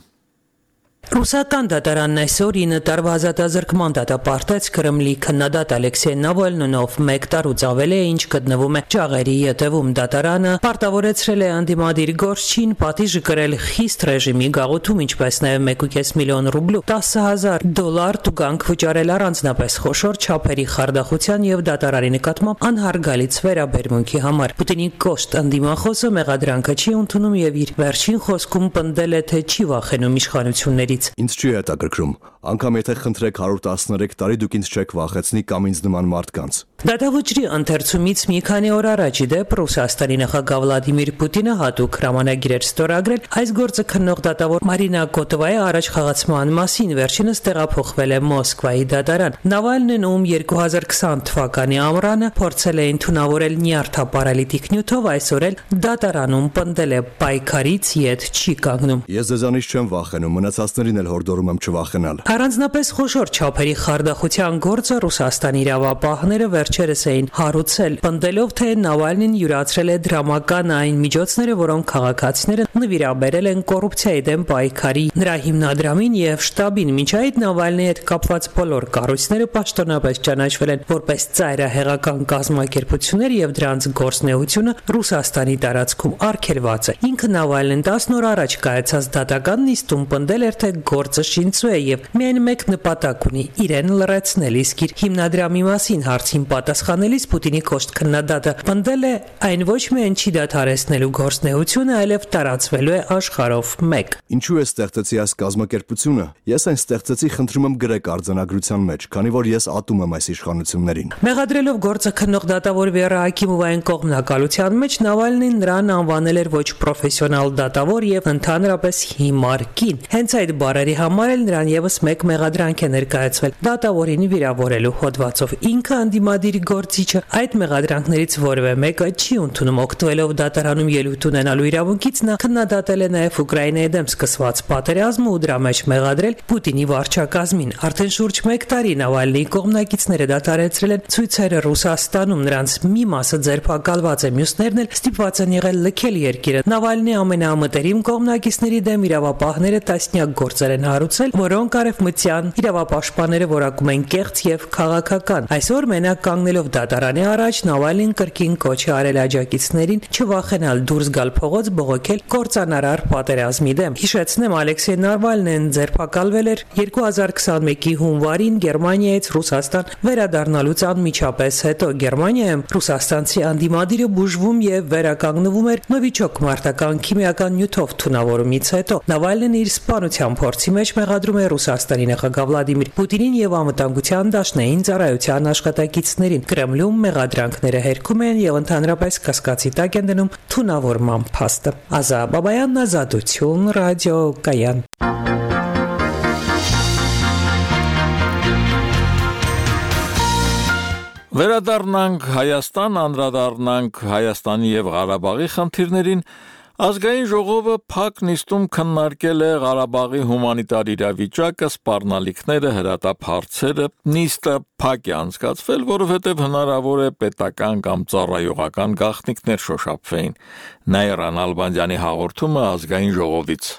Ռուսական դատարանն այսօր ինը տարվա ազատազրկման դատապարտեց Կրեմլի քննադատ Ալեքսեյ Նավալնին, ով մեկ տարուց ավել է ինչ գտնվում է ճաղերի ետևում։ Դատարանը պարտավորեցրել է անդիմադիր գործչին պատիժը կրել խիստ ռեժիմի գաղութում, ինչպես նաև մեկ ու կես միլիոն ռուբլու տասը հազար դոլար տուգանք վճարել առանձնապես խոշոր չափերի խարդախության եւ դատարանի նկատմամբ անհարգալից վերաբերմունքի համար։ Պուտինի կոշտ անդիմախոսը մեղադրանքը չի ընդունում եւ իր վերջին խոսքում պնդել է, թե չի վախենում իշխանություններից։ Ինձ չի հետաքրքրում, անգամ եթե խնդրեք հարյուր տասներեք տարի դուք ինձ չեք վախեցնի կամ ինձ նման մարդկանց։ Դատավճրի ընթերցումից մի քանի օր առաջ ի դեպ Ռուսաստանի նախագահ Վլադիմիր Պուտինը հատուկ հրամանագիր էր ստորագրել այս գործը քննող դատավոր Մարինա Կոտովայի առաջ խաղացման մասին, վերջինս տեղափոխվել է Մոսկվայի դատարան։ Նավալնին, ում երկու հազար քսան թվականի ամռանը փորձել էին թունավորել նյարդապարալիտիկ նյութով, այսօր էլ դատարանում պնդել է պայքարից ետ չի կանգնում։ Ես ձեզանից չեմ վախենում, մնացածներին էլ հորդորում եմ չվախենալ։ Առանձնապես խոշոր չափերի խարդախության գործը Ռուսաստանի իրավապահները վերջերս էին հարուցել, պնդելով, թե Նավալնին յուրացրել է դրամական այն միջոցները, որոնք քաղաքացիները նվիրաբերել են կոռուպցիայի դեմ պայքարի նրա հիմնադրամին եւ շտաբին։ Մինչ այդ Նավալնիի հետ կապված բոլոր կառույցները պաշտոնապես ճանաչվել են որպես ծայրահեղական կազմակերպություններ եւ դրանց գործնեությունը Ռուսաստանի տարածքում արգելված է։ Ինքը Նավալնին տասն օր առաջ կայացած դատական նիստում պնդել էր, թե գործը շինծու է եւ միայն մեկ նպատակ ունի՝ իրեն լրացնել, իսկ իր հիմնադրամի մասին հարցին պատասխանելիս Պուտինի կոշտ քննադատը պնդել է, այն ոչ միայն չի դադարեցնելու գործնեությունը, այլև տարածվելու է աշխարհով մեկ։ Ինչու է ստեղծեցի այս կազմակերպությունը։ Ես այն ստեղծեցի, խնդրում եմ գրեք արձանագրության մեջ, քանի որ ես ատում եմ այս իշխանություններին։ Մեղադրելով գործը քննող դատավոր Վերա Ակիմովային կողմնակալության մեջ Նավալնին նրան անվանել էր ոչ պրոֆեսիոնալ դատավոր եւ ընդհանրապես հիմար կին։ Հենց այդ բառերի համար էլ նրան եւս մեկ մեղադրանք է ներկայացվել դատավորին վիրավորելու հոդվածով։ Ինքը անդիմադիր գործիչը այդ մեղադրանքներից որևէ մեկը չի ընդունում, օգտվելով դատարանում ելույթ ունենալու իրավունքից նա քննադատել է նաեւ Ուկրաինայի դեմ սկսված պատերազմը ու դրա մեջ մեղադրել Պուտինի վարչակազմին։ Արդեն շուրջ մեկ տարի Նավալնիի կողմնակիցները դադարեցրել են ցույցերը Ռուսաստանում, նրանց մի մասը ձերբակալված է, մյուսներն էլ ստիպված են եղել լքել երկիրը։ Նավալնիի ամենամտերիմ կողմնակիցների դեմ իրավապահները տասնյակ գործեր են հարուցել, որոնք արևմտյան իրավապաշտպանները որակում են կեղծ եւ քաղաքական։ Այսօր մենակ կանգնելով դատարանի առաջ Նավալնին կրկին կոչ է արել աջակիցներին չվախենալ դուրս գալ փողոց բողոքել կործանարար պատերազմի դեմ։ Հիշեցնեմ, Ալեքսեյ Նավալնին ձերբակալվել էր երկու հազար քսանմեկի հունվարին Գերմանիայից Ռուսաստան վերադառնալուց անմիջապես հետո։ Գերմանիայում ռուսաստանցի անդիմադիրը բուժվում եւ վերականգնվում էր նովիչոկ մարտական քիմիական նյութով թունավորումից հետո։ Նավալնին իր սպանության փորձի մեջ մեղադրում է Ռուսաստանի նախագահ Վլադիմիր Պուտինին եւ անվտանգության դաշնային ծառայության աշխատակիցներին։ Կրեմլում մեղադրանքները հերքում են եւ ընդհանրապես կասկածի տակ են դնում թունավորման փաստը։ Ազա Բաբայան, Ազատություն, Ռադիո Կայան։ Վերադառնանք Հայաստան, անդրադառնանք Հայաստանի եւ Ղարաբաղի խնդիրներին։ Ազգային ժողովը փակ նիստում քննարկել է Ղարաբաղի հումանիտար իրավիճակը, սպառնալիքները, հրատապ հարցերը։ Նիստը փակ է անցկացվել, որովհետև հնարավոր է պետական կամ ծառայողական գաղտնիքներ շոշափվեին։ Նաիրա Նալբանդյանի հաղորդումը ազգային ժողովից։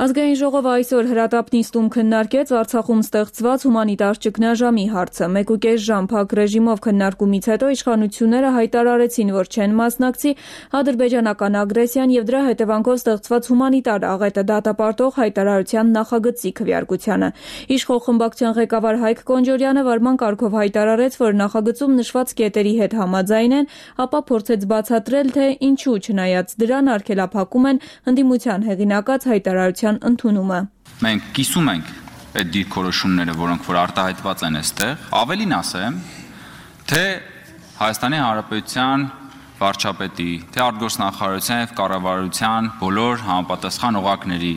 Ազգային ժողովը այսօր հրատապ նիստում քննարկեց Արցախում ստեղծված հումանիտար ճգնաժամի հարցը։ Մեկ ու կես ժամ փակ ռեժիմով քննարկումից հետո իշխանությունները հայտարարեցին, որ չեն մասնակցի ադրբեջանական ագրեսիան եւ դրա հետևանքով ստեղծված հումանիտար աղետը դատապարտող հայտարարության նախագծի քվեարկությանը։ Իշխող խմբակցության ղեկավար Հայկ Կոնջորյանը վարման կարգով հայտարարեց, որ նախագծում նշված կետերի հետ համաձայն են, ապա փորձեց բացատրել, թե ինչու չնայած դրան արգելափակում են ընդդիմության հեղինակած հայտարարության ընդունումը։ Մենք կիսում ենք այդ դիրքորոշումները, որոնք որ արտահայտված են այստեղ, ավելին ասեմ, թե Հայաստանի Հանրապետության վարչապետի, թե արտգործնախարարության եւ կառավարության բոլոր համապատասխան օղակների,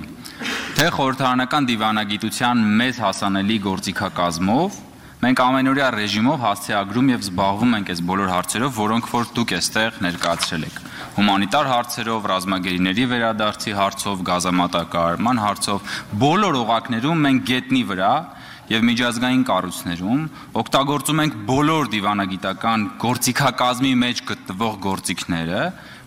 թե խորհրդարանական դիվանագիտության մեծ հասանելի գործիքակազմով մենք ամենօրյա ռեժիմով հասցեագրում եւ զբաղվում ենք այս բոլոր հարցերով, որոնք որ դուք այստեղ ներկայացրել եք։ Հումանիտար հարցերով, ռազմագերիների վերադարձի հարցով, գազամատակարարման հարցով, բոլոր օղակներում մենք գետնի վրա եւ միջազգային կառույցներում օգտագործում ենք բոլոր դիվանագիտական գործիքակազմի մեջ գտնվող գործիքները,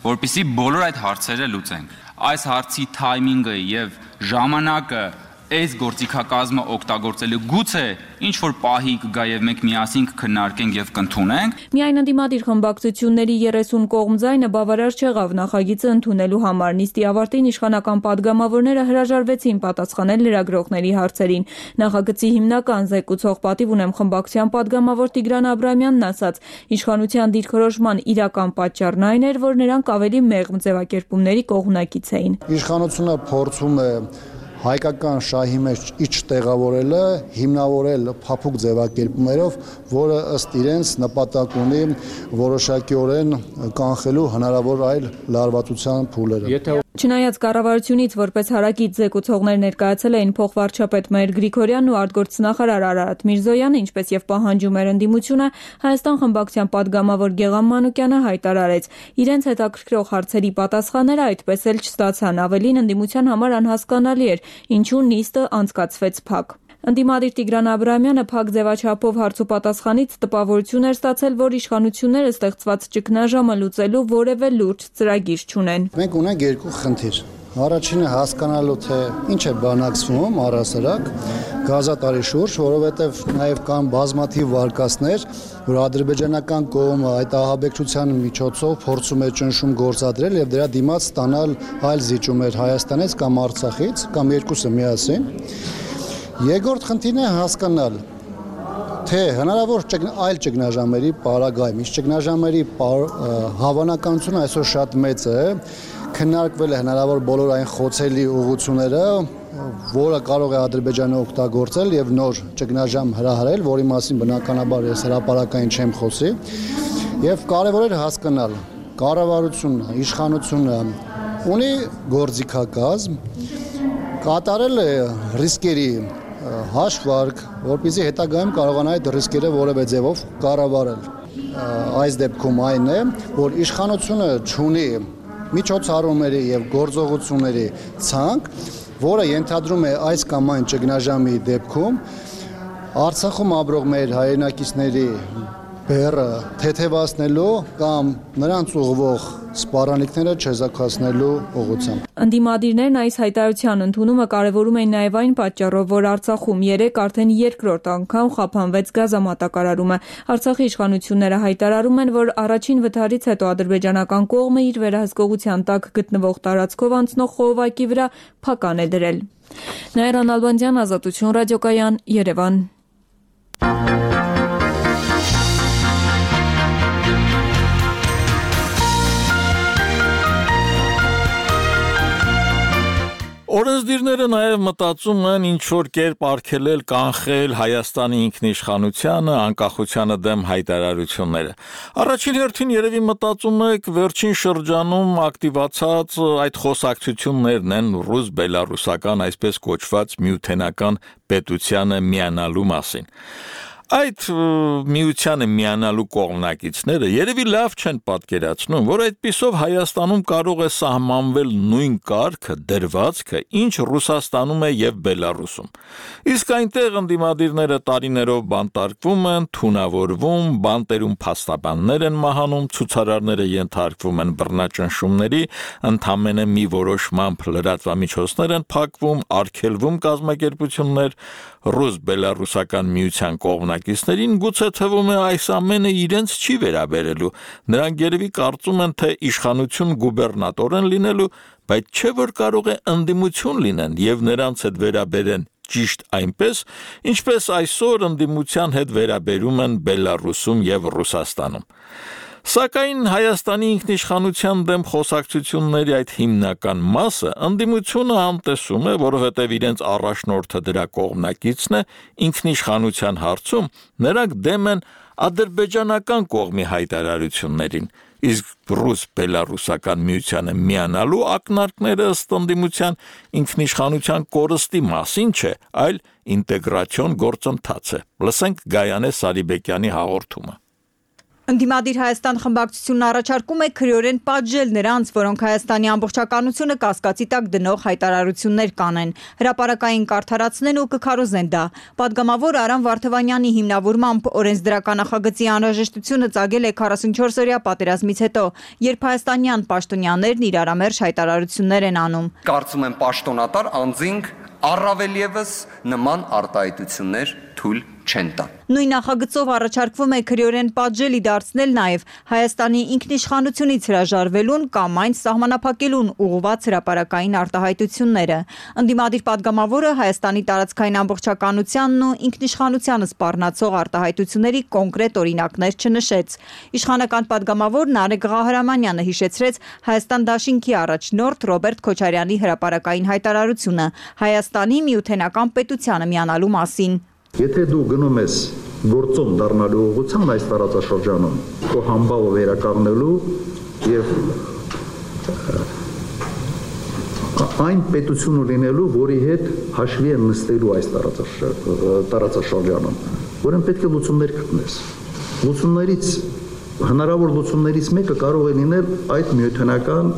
որպեսզի բոլոր այդ հարցերը լուծենք։ Այս հարցի թայմինգը եւ ժամանակը այս գործիքակազմը օգտագործելու գուցե ինչ որ պահի կգա եւ մենք միասին կքննարկենք եւ կընդունենք։ Միայն ընդդիմադիր խմբակցությունների երեսուն կողմ ձայնը բավարար չեղավ նախագիծը ընդունելու համար։ Նիստի ավարտին իշխանական падգամավորները հրաժարվեցին պատասխանել լրագրողների հարցերին։ Նախագծի հիմնական զեկուցող պատիվ ունեմ խմբակցության падգամավոր Տիգրան Աբրամյանն ասաց, իշխանության դիրքորոշման իրական պատճառն այն էր, որ նրանք ավելի մեղմ ձևակերպումների կողմնակից էին։ Իշխանությունը փորձում է հայկական շահի մեջ իջտեղավորելը, հիմնավորել փափուկ ձևակերպումներով, որը ըստ իրենց նպատակ ունի որոշակիորեն կանխելու հնարավոր այլ լարվածության փուլերը։ Չնայած կառավարությունից որպես հարակից զեկուցողներ ներկայացել էին փոխվարչապետ Մհեր Գրիգորյանն ու արտգործնախարար Արարատ Միրզոյանը, ինչպես եւ պահանջում էր ընդդիմությունը, Հայաստան խմբակցության падգամավոր Գեղամ Մանուկյանը հայտարարեց, իրենց հետաքրքրող հարցերի պատասխանները այդպես էլ չստացան, ավելին ընդդիմության համար անհասկանալի էր, ինչու նիստը անցկացվեց փակ։ Ընդդիմադիր Տիգրան Աբրամյանը փակ ձևաչափով հարցուպատասխանից տպավորություն էր ստացել, որ իշխանությունները ստեղծված ճգնաժամը լուծելու որևէ լուրջ ծրագիր չունեն։ Մենք ունենք երկու խնդիր։ Առաջինը հասկանալու թե ինչ է բանակցվում առհասարակ գազատարի շուրջ, որովհետև նաև կան բազմաթիվ վարկածներ, որ ադրբեջանական կողմը այդ ահաբեկչության միջոցով փորձում է ճնշում գործադրել եւ դրա դիմաց ստանալ այլ զիջումներ Հայաստանից կամ Արցախից կամ երկուսը միասին։ Երկրորդ խնդիրն է հասկանալ, թե հնարավոր այլ ճգնաժամերի պարագայում, իսկ ճգնաժամերի հավանականությունը այսօր շատ մեծ է, քննարկվել է հնարավոր բոլոր այն խոցելի ուղղությունները, որը կարող է Ադրբեջանը օգտագործել եւ նոր ճգնաժամ հրահրել, որի մասին բնականաբար ես հրապարակային չեմ խոսի, եւ կարեւոր է հասկանալ, կառավարությունը, իշխանությունը ունի գործիքակազմ, կատարել է ռիսկերի հաշվարկ, որպեսզի հետագայում կարողանա այդ ռիսկերը որևէ ձևով կառավարել։ Այս դեպքում այն է, որ իշխանությունը չունի միջոցառումների եւ գործողությունների ցանկ, որը ենթադրում է այս կամ այն ճգնաժամի դեպքում Արցախում ապրող մեր հայրենակիցների բեռը թեթևացնելու կամ նրանց ուղղվող սպառանլիքները չեզոքացնելու ուղղությամբ։ Ընդդիմադիրներն այս հայտարարության ընդունումը կարևորում են նաև այն պատճառով, որ Արցախում երեք արդեն երկրորդ անգամ խափանվեց գազամատակարարումը։ Արցախի իշխանությունները հայտարարում են, որ առաջին վթարից հետո ադրբեջանական կողմը իր վերահսկողության տակ գտնվող տարածքով անցնող խողովակի վրա փական է դրել։ Նաիրա Նալբանդյան, Ազատություն ռադիոկայան, Երևան։ Օրենսդիրները նաև մտածում են ինչ-որ կերպ արգելել, կանխել Հայաստանի ինքնիշխանությանը, անկախությանը դեմ հայտարարությունները։ Առաջին հերթին երևի մտածում եք վերջին շրջանում ակտիվացած այդ խոսակցություններն են ռուս-բելարուսական այսպես կոչված միութենական պետությանը միանալու մասին։ Այդ միությանը միանալու կողմնակիցները երևի լավ չեն պատկերացնում, որ այդպիսով Հայաստանում կարող է սահմանվել նույն կարգը, դրվածքը, ինչ Ռուսաստանում է եւ Բելարուսում։ Իսկ այնտեղ ընդդիմադիրները տարիներով բանտարկվում են, թունավորվում, բանտերում փաստաբաններ են մահանում, ցուցարարները ենթարկվում են բռնաճնշումների, ընդամենը մի որոշմամբ լրատվամիջոցներ են փակվում, արգելվում կազմակերպություններ, ռուս-բելարուսական միության կողմնակիցներին գուցե թվում է այս ամենը իրենց չի վերաբերելու, նրանք երևի կարծում են, թե իշխանություն գուբերնատոր են լինելու, բայց չէ որ կարող է ընդդիմություն լինեն եւ նրանց հետ վերաբերեն ճիշտ այնպես, ինչպես այսօր ընդդիմության հետ վերաբերում են Բելարուսում եւ Ռուսաստանում։ Սակայն Հայաստանի ինքնիշխանության դեմ խոսակցությունների այդ հիմնական մասը ընդդիմությունը անտեսում է, որովհետև իրենց առաջնորդը դրա կողմնակիցն է, ինքնիշխանության հարցում նրանք դեմ են ադրբեջանական կողմի հայտարարություններին, իսկ ռուս-բելարուսական միությանը միանալու ակնարկները ըստ ընդդիմության ինքնիշխանության կորստի մասին չէ, այլ ինտեգրացիոն գործընթաց է։ Լսենք Գայանե Սարիբեկյանի հաղորդումը։ Ընդդիմադիր Հայաստան խմբակցությունն առաջարկում է քրեորեն պատժել նրանց, որոնք Հայաստանի ամբողջականությունը կասկածի տակ դնող հայտարարություններ կանեն, հրապարակային կարդարացնեն ու կքարոզեն դա։ Պատգամավոր Արամ Վարդավանյանի հիմնավորմամբ օրենսդրական նախագծի անհրաժեշտությունը ծագել է քառասունչորս օրյա պատերազմից հետո, երբ հայաստանյան պաշտոնյաներն իրարամերժ հայտարարություններ են անում։ Կարծում եմ պաշտոնատար անձինք Առավել ևս նման արտահայտություններ թույլ չեն տա։ Նույն նախագծով առաջարկվում է քրեորեն պատժելի դարձնել նաև Հայաստանի ինքնիշխանությունից հրաժարվելուն կամ այն սահմանափակելուն ուղղված հրապարակային արտահայտությունները։ Ընդդիմադիր падգամավորը Հայաստանի տարածքային ամբողջականությանն ու ինքնիշխանությանը սպառնացող արտահայտությունների կոնկրետ օրինակներ չնշեց։ Իշխանական падգամավոր Նարեկ Ղահարամանյանը հիշեցրեց Հայաստան դաշինքի առաջնորդ Ռոբերտ Քոչարյանի հրապարակային հայտարարությունը Հայաստանի միութենական պետությանը միանալու մասին։ Եթե դու գնում ես գործում դառնալու ուղղությամբ այս տարածաշրջանում, քո համբավը վերականգնելու եւ այն պետությունը լինելու, որի հետ հաշվի են նստելու այս տարածաշրջանում, որն պետք է լուծումներ գտնես։ Լուծումներից հնարավոր լուծումներից մեկը կարող է լինել այդ միութենական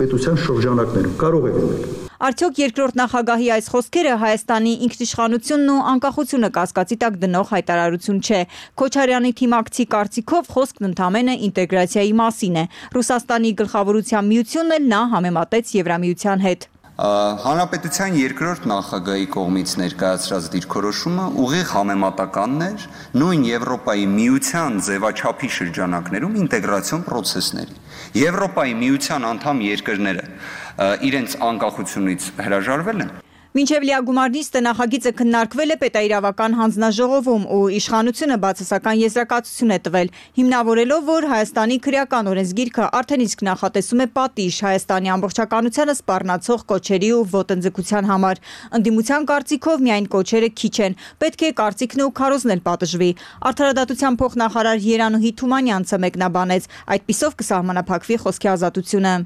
պետության շրջանակներում, կարող է լինել։ Արդյոք երկրորդ նախագահի այս խոսքերը Հայաստանի ինքնիշխանությունն ու անկախությունը կասկածի տակ դնող հայտարարություն չէ։ Քոչարյանի թիմակցի կարծիքով խոսքն ընդամենը ինտեգրացիայի մասին է։ Ռուսաստանի գլխավորության միությունն էլ նա համեմատեց Եվրամիության հետ։ Հանրապետության երկրորդ նախագահի կողմից ներկայացրած դիրքորոշումը ուղիղ համեմատականն էր նույն Եվրոպայի միության ձևաչափի շրջանակներում ինտեգրացիոն պրոցեսների։ Եվրոպայի միության անդամ երկրները իրենց անկախությունից հրաժարվել են։ Մինչև լիագումար նիստը նախագիծը քննարկվել է պետաիրավական հանձնաժողովում ու իշխանությունը բացասական եզրակացություն է տվել, հիմնավորելով, որ Հայաստանի քրեական օրենսգիրքը արդեն իսկ նախատեսում է պատիժ Հայաստանի ամբողջականությանը սպառնացող կոչերի ու ոտնձգության համար։ Ընդդիմության կարծիքով միայն կոչերը քիչ են, պետք է կարծիքն ու քարոզն էլ պատժվի։ Արդարադատության փոխնախարար Երանուհի Թումանյանցը մեկնաբանեց, այդպիսով կսահմանափակվի խոսքի ազատությունը։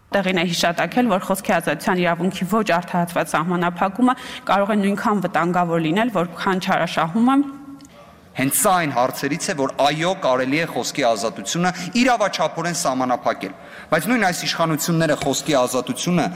Տեղին է հիշատակել, որ խոսքի ազատության իրավունքի ոչ արդարացված սահմանափակումը կարող է նույնքան վտանգավոր լինել, որքան չարաշահումը։ Հենց սա այն հարցերից է, որ այո, կարելի է խոսքի ազատությունը իրավաչափորեն սահմանափակել, բայց նույն այս իշխանությունները խոսքի ազատությունը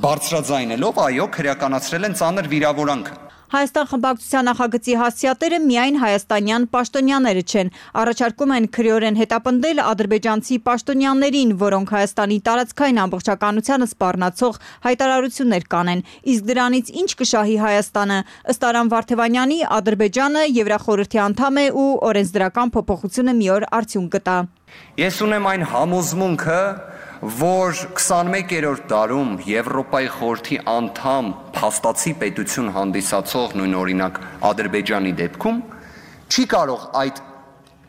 բարձրաձայնելով, այո, քրեականացրել են ծանր վիրավորանքը։ Հայաստան խմբակցության նախագծի հասցեատերը միայն հայաստանյան պաշտոնյաները չեն, առաջարկում են քրեորեն հետապնդել ադրբեջանցի պաշտոնյաներին, որոնք Հայաստանի տարածքային ամբողջականությանը սպառնացող հայտարարություններ կանեն, իսկ դրանից ինչ կշահի Հայաստանը։ Ըստ Արամ Վարդևանյանի, Ադրբեջանը Եվրախորհրդի անդամ է ու օրենսդրական փոփոխությունը մի օր արդյունք կտա։ Ես ունեմ այն համոզմունքը, որ քսանմեկերորդ դարում Եվրոպայի խորհրդի անդամ փաստացի պետություն հանդիսացող նույն օրինակ Ադրբեջանի դեպքում չի կարող այդ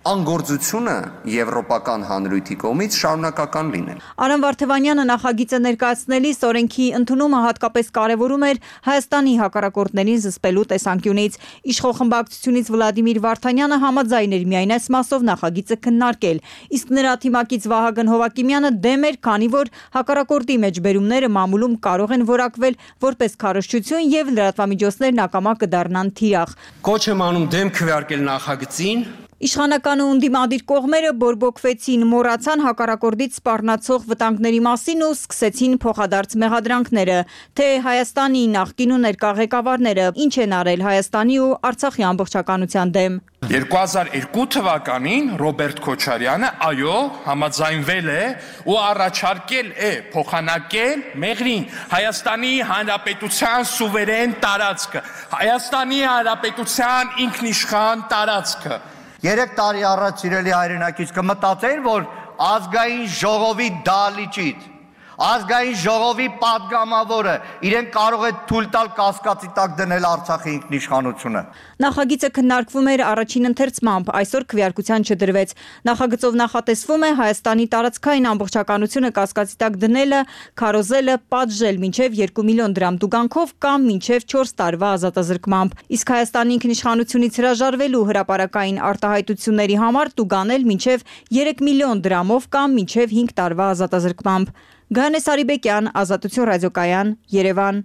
անգործությունը եվրոպական հանրույթի կողմից շարունակական լինել։ Արամ Վարդևանյանը նախագիծը ներկայացնելիս օրենքի ընդունումը հատկապես կարևորում էր Հայաստանի հակառակորդներին զսպելու տեսանկյունից։ Իշխող խմբակցությունից Վլադիմիր Վարդանյանը համաձայն էր միայն այս մասով նախագիծը քննարկել, իսկ նրա թիմակից Վահագն Հովակիմյանը դեմ էր, քանի որ հակառակորդի մեջբերումները մամուլում կարող են որակվել որպես քարոզչություն եւ լրատվամիջոցներն ակամա կդառնան թիրախ։ Կոչ եմ անում դեմ քվեարկել նախագծին։ Իշխանական ու ընդդիմադիր կողմերը բորբոքվեցին, մոռացան հակառակորդից սպառնացող վտանգների մասին ու սկսեցին փոխադարձ մեղադրանքները, թե Հայաստանի նախկին ու ներկա ղեկավարները ինչ են արել Հայաստանի ու Արցախի ամբողջականության դեմ։ երկու հազար երկու թվականին Ռոբերտ Քոչարյանը այո համաձայնվել է ու առաջարկել է փոխանակել մեղրին Հայաստանի Հանրապետության սուվերեն տարածքը, Հայաստանի Հանրապետության ինքնիշխան տարածքը։ Երեք տարի առաջ սիրելի հայրենակից կմտածեին, որ ազգային ժողովի դալիճիտ, ազգային ժողովի падգամավորը իրեն կարող է թույլ տալ կասկածի տակ դնել Արցախի ինքնիշխանությունը։ Նախագիծը քննարկվում էր առաջին ընթերցմամբ, այսօր քվեարկության չդրվեց։ Նախագծով նախատեսվում է Հայաստանի տարածքային ամբողջականությունը կասկածի տակ դնելը, քարոզելը, պատժել մինչև երկու միլիոն դրամ տուգանքով կամ մինչև չորս տարվա ազատազրկմամբ։ Իսկ Հայաստանի ինքնիշխանությունից հրաժարվելու հրապարակային արտահայտությունների համար տուգանել մինչև երեք միլիոն դրամով կամ մինչև հինգ տարվա ազատազրկմամբ։ Գայանե Սարիբեկյան, Ազատություն ռադիոկայան, Երևան։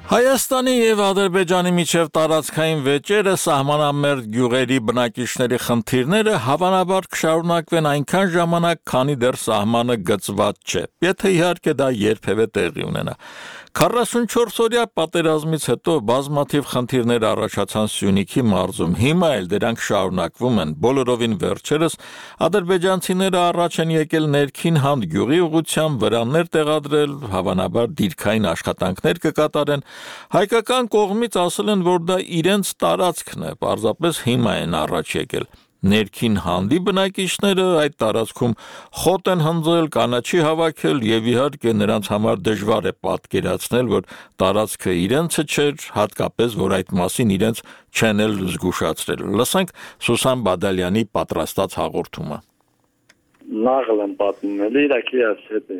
Հայաստանի եւ Ադրբեջանի միջև տարածքային վեճերը սահմանամերձ գյուղերի բնակիչների խնդիրները հավանաբար կշարունակվեն այնքան ժամանակ, քանի դեռ սահմանը գծված չէ, եթե իհարկե դա երբևէ տեղի ունենա։ քառասունչորս-օրյա պատերազմից հետո բազմաթիվ խնդիրներ առաջացան Սյունիքի մարզում, հիմա էլ դրանք շարունակվում են, բոլորովին վերջերս ադրբեջանցիները առաջ են եկել ներքին Հանդ գյուղի ուղղությամբ վրաններ տեղադրել, հավանաբար դիրքային աշխատանքներ կկատարեն, հայկական կողմից ասել են, որ դա իրենց տարածքն է, պարզապես հիմա են առաջ եկել։ Ներքին Հանդի բնակիչները այդ տարածքում խոտ են հնձել, կանաչի հավաքել եւ իհարկե նրանց համար դժվար է պատկերացնել, որ տարածքը իրենցը չէր, հատկապես որ այդ մասին իրենց չեն էլ զգուշացրել։ Լսենք Սուսան Բադալյանի պատրաստած հաղորդումը։ Նաղել եմ պատմում, էլի իրակի ասել է։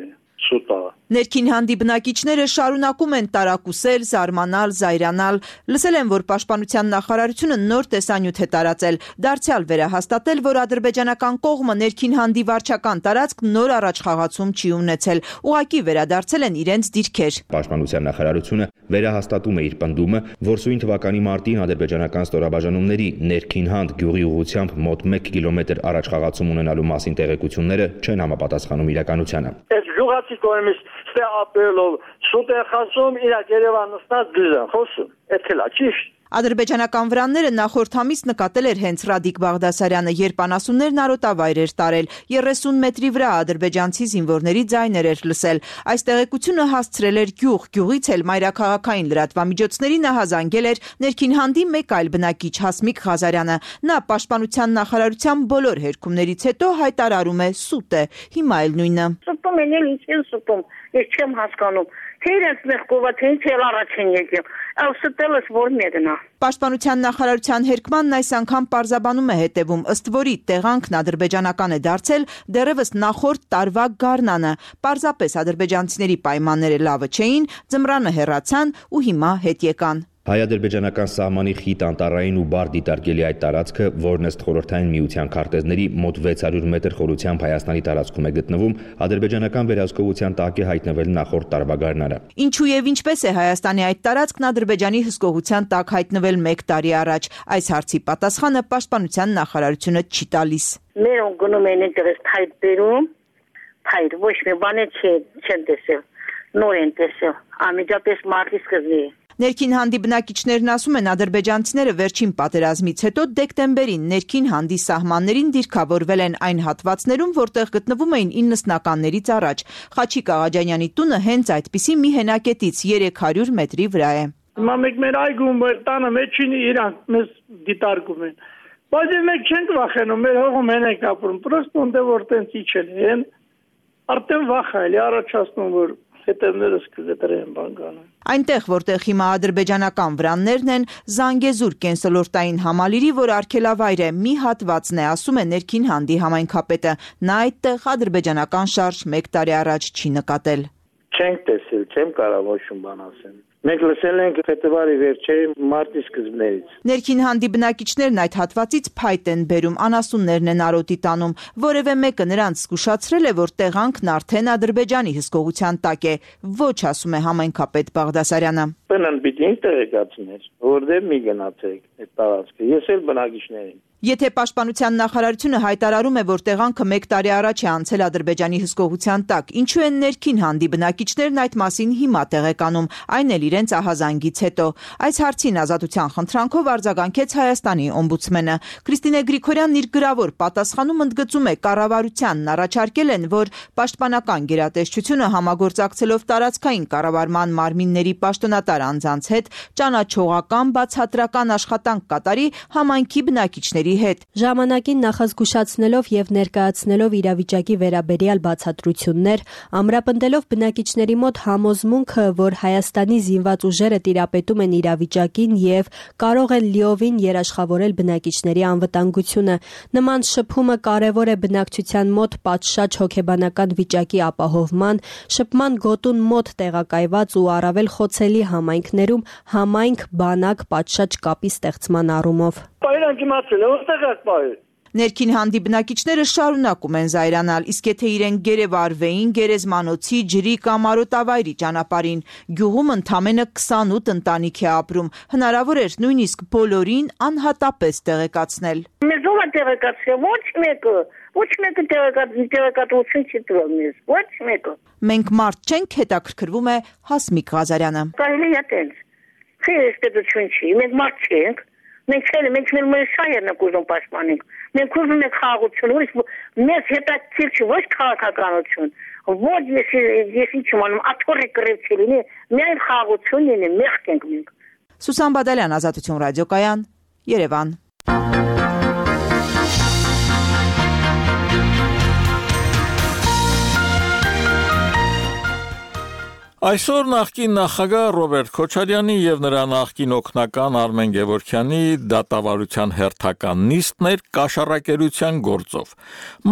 Ներքին Հանդի բնակիչները շարունակում են տարակուսել, զարմանալ, զայրանալ, լսել են, որ Պաշտպանության նախարարությունը նոր տեսանյութ է տարածել, դարձյալ վերահաստատել, որ ադրբեջանական կողմը Ներքին Հանդի վարչական տարածք նոր առաջխաղացում չի ունեցել, ուղղակի վերադարձել են իրենց դիրքեր։ Պաշտպանության նախարարությունը վերահաստատում է իր պնդումը, որ սույն թվականի մարտին ադրբեջանական ստորաբաժանումների Ներքին Հանդ գյուղի ուղղությամբ մոտ մեկ կիլոմետր առաջխաղացում ունենալու մասին տեղեկությունները չեն համապատասխանում իրականությանը։ Գյուղացի կողմից ստե ապելով շուտ է խոսում, իրակ Երևան նստած դժան խոսում, այդ էլ ճիշտ։ Ադրբեջանական վրանները նախորդ ամիս նկատել էր հենց Ռադիկ Բաղդասարյանը, երբ անասուններն արոտավայր էր տարել, երեսուն մետրի վրա ադրբեջանցի զինվորների ձայներ էր լսել։ Այս տեղեկությունը հասցրել էր գյուղ, գյուղից էլ մայրաքաղաքային լրատվամիջոցների նա հազանգել էր Ներքին Հանդի մեկ այլ բնակիչ Հասմիկ Ղազարյանը։ Նա Պաշտպանության նախարարության բոլոր հերքումներից հետո հայտարարում է սուտ է, հիմա էլ նույնը։ Սուտում են էլ ինչ են սուտում, ես չեմ հասկանում։ Թե իրենց մեղքովա, թե ինչ էլ առաջ են եկել, այլ ստելս որ մեկնա։ Պաշտպանության նախարարության հերքմանն այս անգամ պարզաբանում է հետևում, ըստ որի տեղանքն ադրբեջանական է դարձել դեռևս նախորդ տարվա գարնանը, պարզապես ադրբեջանցիների պայմանները լավը չէին, ձմռանը հեռացան ու հիմա հետ եկան։ Հայ-ադրբեջանական սահմանի խիտ անտառային ու բար դիտարկելի այդ տարածքը, որն ըստ խորհրդային միության քարտեզների մոտ վեց հարյուր մետր խորությամբ Հայաստանի տարածքում է գտնվում, ադրբեջանական վերահսկողության տակ է հայտնվել նախորդ տարվա գարնանը։ Ինչու եւ ինչպես է Հայաստանի այդ տարածքն Ադրբեջանի հսկողության տակ հայտնվել մեկ տարի առաջ, այս հարցի պատասխանը Պաշտպանության նախարարությունը չի տալիս։ Մեր գնում են այնտեղից թայտ բերում, թայտ ոչ մի բան չեն տեսել, նոր են տեսել, ամիջապես մարտի սկզբի։ Ներքին Հանդի բնակիչներն ասում են, ադրբեջանցիները վերջին պատերազմից հետո դեկտեմբերին Ներքին Հանդի սահմաններին դիրքավորվել են այն հատվածներում, որտեղ գտնվում էին իննսնականներից առաջ։ Խաչիկ Աղաջանյանի տունը հենց այդպիսի մի հենակետից երեք հարյուր մետրի վրա է։ Հիմա մեկ մեր այգում տանը մեջին իրանք մեզ դիտարկում են։ Բայց մենք չենք վախենում, մեր հողում են ենք ապրում, պրոստ ոնդե որ տենց իջել են, արդեն վախ է, առաջացնում որ հետևներս կգտրեն բանկանը։ Այնտեղ, որտեղ հիմա ադրբեջանական վրաններն են, Զանգեզուր կենսոլորտային համալիրի, որ արգելավայր է, մի հատվածն է, ասում է Ներքին Հանդի համայնքապետը։ Նա այդտեղ ադրբեջանական շարժ մեկ տարի առաջ չի նկատել։ Չենք տեսել, չեմ կարող ոչ մի բան ասել։ Մենք լսել ենք փետրվարի վերջին մարտի սկզբներից։ Ներքին Հանդի բնակիչներն այդ հատվածից փայտ են բերում, անասուններն են արոտի տանում։ Որևէ մեկը նրանց զգուշացրել է, որ տեղանքն արդեն Ադրբեջանի հսկողության տակ է։ Ոչ, ասում է համայնքապետ Բաղդասարյանը։ Բնան պիտի տեղեկացներ, որտեղ մի գնացեք այդ տարածքը։ Ես էլ բնակիչներին։ Եթե Պաշտպանության նախարարությունը հայտարարում է, որ տեղանքը մեկ տարի առաջ է անցել Ադրբեջանի հսկողության տակ, ինչու են Ներքին Հանդի բնակիչներն այդ մասին հիմա տեղեկանում, այն էլ իրենց ահազանգից հետո։ Այս հարցին Ազատության խնդրանքով արձագանքեց Հայաստանի օմբուդսմենը։ Քրիստինե Գրիգորյանն իր գրավոր պատասխանում ընդգծում է, կառավարությանն առաջարկել են, որ Պաշտպանական գերատեսչությունը համագործակցելով տարածքային կառավարման մարմինների պաշտոնատար անձանց հետ ճանաչողական բացատրական աշխատանք կատարի համայնքի բնակիչների հետ։ Ժամանակին նախազգուշացնելով եւ ներկայացնելով իրավիճակի վերաբերյալ բացատրություններ, ամրապնդելով բնակիչների մոտ համոզմունքը, որ Հայաստանի զինված ուժերը տիրապետում են իրավիճակին եւ կարող են լիովին երաշխավորել բնակիչների անվտանգությունը, նման շփումը կարևոր է բնակչության մոտ պատշաճ հոգեբանական վիճակի ապահովման, շփման գոտուն մոտ տեղակայված ու առավել խոցելի համայնքներում համայնք բանակ պատշաճ կապի ստեղծման առումով։ Պայրան իմացել, որտեղ եք պայր։ Ներքին հանդի բնակիչները շարունակում են զայրանալ, իսկ եթե իրեն գերեվարվեին գերեզմանոցի, ջրի կամ արոտավայրի ճանապարհին, գյուղում ընդամենը քսանութ ընտանիք է ապրում, հնարավոր էր նույնիսկ բոլորին անհատապես տեղեկացնել։ Մեզ ով է տեղեկացրել, ոչ մեկը, ոչ մեկը տեղեկատվություն չի տվել մեզ, ոչ մեկը։ Մենք մարդ չենք, հետաքրքրվում է Հասմիկ Ղազարյանը։ Կարելի է տենց, չի պետություն չի, մենք մարդ չենք, մենք չենք, մենք մեր շահերն ենք ուզում պաշտպանենք, մենք ուզում ենք խաղաղություն, ուրիշ մեզ հետաքրքիր չի, ոչ քաղաքականություն, ոչ ես ինչ անում, աթոռի կռիվ չի լինի, միայն խաղաղություն լինի, մեղք ենք մենք։ Սուսան Բադալյան, Ազատություն ռադիոկայան, Երևան։ Այսօր նախկին նախագահ Ռոբերտ Քոչարյանի եւ նրա նախկին օգնական Արմեն Գևորգյանի դատավարության հերթական նիստն էր կաշառակերության գործով։